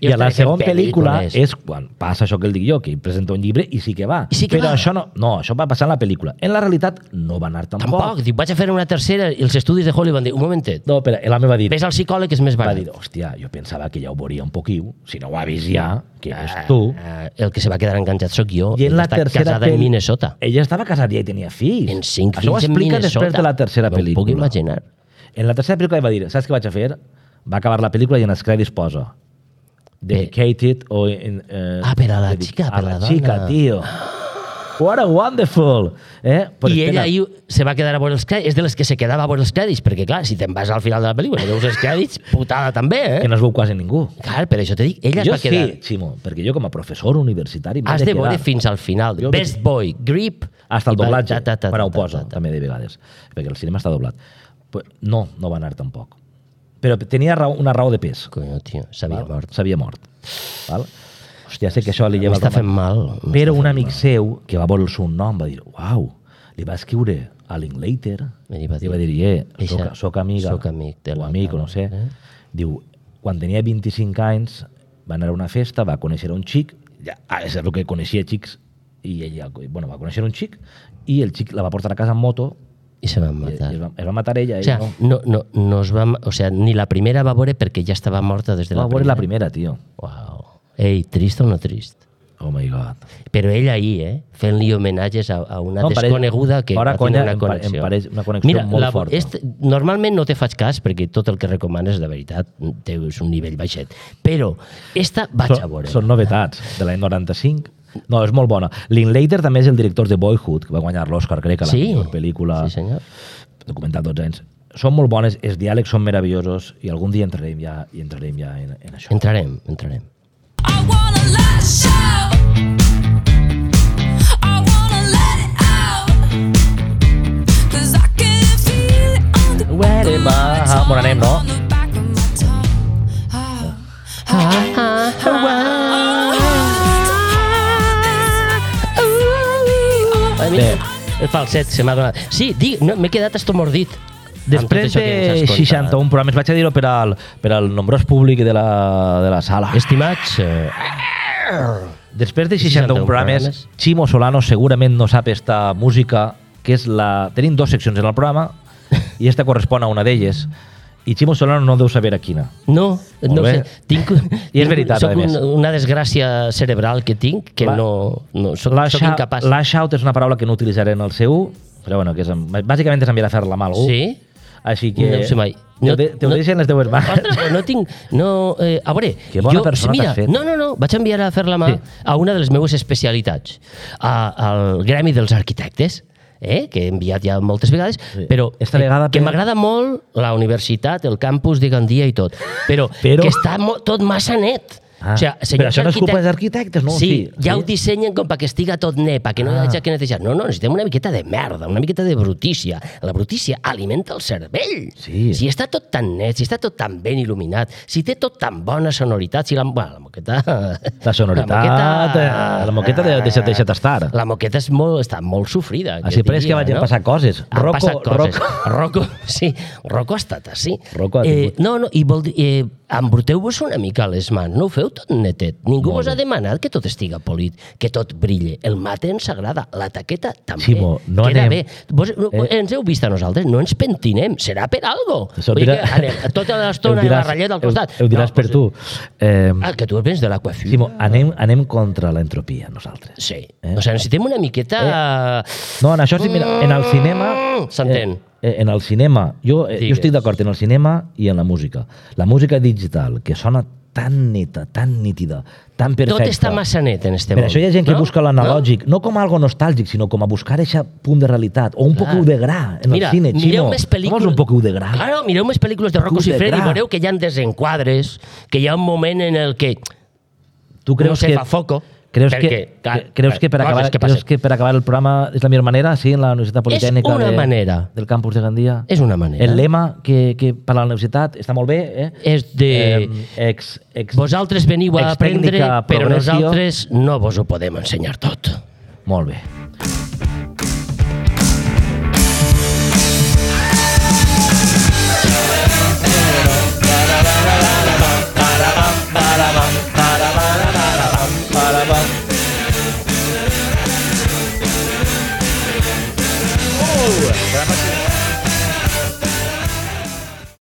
I a la segona pel·lícula pel·lícules. és quan passa això que el dic jo, que ell presenta un llibre i sí que va. I sí que Però va. això no, no, això va passar en la pel·lícula. En la realitat no va anar tampoc. Tampoc. Dic, vaig a fer una tercera i els estudis de Hollywood van dir, un momentet, No, però l'home va dir, ves al psicòleg que és més va barat. dir, hòstia, jo pensava que ja ho veuria un poquiu, si no ho ha vist ja, que eres tu. Ah, el que se va quedar enganxat sóc jo. I en Ella la està tercera casada en pel·li- Minnesota. Ella estava casada ja i tenia fills. En cinc Això ho fills en explica Minnesota. després de la tercera No ho pel·lícula. puc imaginar. En la tercera pel·lícula va dir, saps què vaig a fer? Va acabar la pel·lícula i en els crèdits posa dedicated o... En, eh, Ah, per a la dedic- xica, a per la la dona. xica, tio. What a wonderful! Eh? Però I ella espera, ahí se va quedar a veure els crèdits. És de les que se quedava a veure els crèdits, perquè, clar, si te'n vas al final de la pel·lícula i veus els crèdits, putada també, eh? que no es veu quasi ningú. Clar, per això te dic, ella es Jo va quedar... sí, Ximo, perquè jo com a professor universitari m'he Has de quedar veure fins al final. Jo- Best Boy, Grip... hasta el i va- doblatge, ta, ta, ta, quan ho ta, posa, ta, ta. també de vegades, perquè el cinema està doblat. Pues no, no va anar tampoc. Però tenia raó, una raó de pes. Coño, tio, s'havia Val? mort. S'havia mort. Val? Hòstia, sé que això li lleva... M'està el fent romà- mal. Però m'està un fent amic mal. seu, que va veure el seu nom, va dir, uau, li va escriure a Linklater, I li va dir, li va dir, eh, "Eixa, soc, soc amiga, soc amic de o la amic, o dona, no sé. eh?" Diu, quan tenia vint-i-cinc anys, va anar a una festa, va conèixer un xic, ja, ah, és el que coneixia xics, i ella, bueno, va conèixer un xic, i el xic la va portar a casa en moto, I se van i, matar. i es, va, es va matar ella. O sea, ell no. no, no, no es va, o sea, ni la primera va veure perquè ja estava morta des de Va la veure primera. la primera, tio. Wow. Ei, trist o no trist? Oh my God. Però ell ahí, eh, fent-li homenatges a, a una No, em pareix- desconeguda que fora va conya, tenir una em pa- em connexió. pareix una connexió Mira, molt la, forta. Este, normalment no te faig cas perquè tot el que recomanes, de veritat, té és un nivell baixet. Però esta vaig a Són, veure. són novetats de l'any noranta-cinc. No, és molt bona. Linklater també és el director de Boyhood, que va guanyar l'Oscar, crec, a la Sí. millor pel·lícula, Sí, senyor. documental dotze anys. Són molt bones, els diàlegs són meravellosos i algun dia entrarem ja, i entrarem ja en, en això. Entrarem, entrarem. I want a last show. I wanna let it out. 'Cause I can feel it on the Where back of am my I? tongue, Bon anem, no? on the back of my tongue. Ah, Bé, El falset se m'ha donat. Sí, di, no, m'he quedat estomordit. amb tot després això que ens has de contat. seixanta-un programes, vaig a dir-ho per al, per al nombrós públic de la, de la sala. Estimats, eh, Després de seixanta-un seixanta-un programes, programes. Ximo Solano segurament no sap esta música, que és la... Tenim dues seccions en el programa, i esta correspon a una d'elles, i Ximo Solano no deu saber a quina. no, Molt no bé. sé. Tinc, I és veritat, soc a més. un, una desgràcia cerebral que tinc, que La- no, no soc, Lash soc out- incapaç. Lash out és una paraula que no utilitzaré en el C U, però bueno, que és, bàsicament és enviar a fer la mà a algú. Sí? Així que... No ho sé mai. Te, No- ho de- te ho no- deixen les teues mans. Ostres, però no tinc... No, eh, a veure, Que bona jo, persona mira, t'has fet. no, no, no, vaig enviar a fer la mà Sí. a una de les meves especialitats, a, al Gremi dels Arquitectes, eh, que he enviat ja moltes vegades, Sí. però Esta vegada eh, que per- m'agrada molt la universitat, el campus de Gandia i tot, però, Però- que està mo tot massa net. Ah, o sigui, però senyors això no és culpa arquitectes- dels arquitectes, no? Sí, Sí, ja sí. ho dissenyen com perquè estiga tot net, perquè no hi Ah. hagi que netejar. No, no, necessitem una miqueta de merda, una miqueta de brutícia. La brutícia alimenta el cervell. Sí. Si està tot tan net, si està tot tan ben il·luminat, si té tot tan bona sonoritat, si la, bueno, la moqueta... La sonoritat, la, la moqueta de, deixa, deixa't estar. La moqueta és molt, està molt sofrida. Així jo pres que diria, vagin no? passar coses. Han Rocco- passat coses. Rocco- Rocco, sí, Rocco ha estat així. Rocco ha eh, tingut- no, no, i vol dir, eh, embruteu-vos una mica les mans, no ho feu tot netet. Ningú Molt vos ha bé. demanat que tot estiga polit, que tot brille. El mate ens agrada, la taqueta també. Ximo, no Queda anem- bé. Vos, Eh? ens heu vist a nosaltres, no ens pentinem, serà per algo. Això ho Vull dir dirà- que anem tota l'estona Ho i la diràs- ratlleta al ho- costat. Ho diràs No, per pues, tu. Eh, Ah, que tu vens de l'aquafil. Ximo, anem, anem contra l'entropia, nosaltres. Sí. Eh? O sigui, necessitem una miqueta... No, en això sí, mira, en el cinema... Mm, s'entén. Eh, eh, en el cinema, jo, eh, jo Digues. estic d'acord en el cinema i en la música. La música digital, que sona tan neta, tan nítida, tan perfecta. Tot està massa net en este Per món. això hi ha gent que no? busca l'analògic, no? no com algo nostàlgic, sinó com a buscar aquest punt de realitat, o un Clar. poc de gra en Mira, el cine, mireu Ximo. més Com pel·lícules... és un poc de gra? Claro, mireu més pel·lícules de Rocco Poc de Siffredi i gra. veureu que hi ha desenquadres, que hi ha un moment en el que Tu no creus se que, fa foco. creus perquè, que, clar, que- creus que per coses acabar, que creus passen. que per acabar el programa és la millor manera, sí, en la Universitat Politècnica una de, manera. del campus de Gandia? És una manera. El lema que, que per a la universitat està molt bé, eh? És de... Eh, ex, ex, Vosaltres veniu a aprendre, ex-tècnica però progressió. nosaltres no vos ho podem ensenyar tot. Molt bé.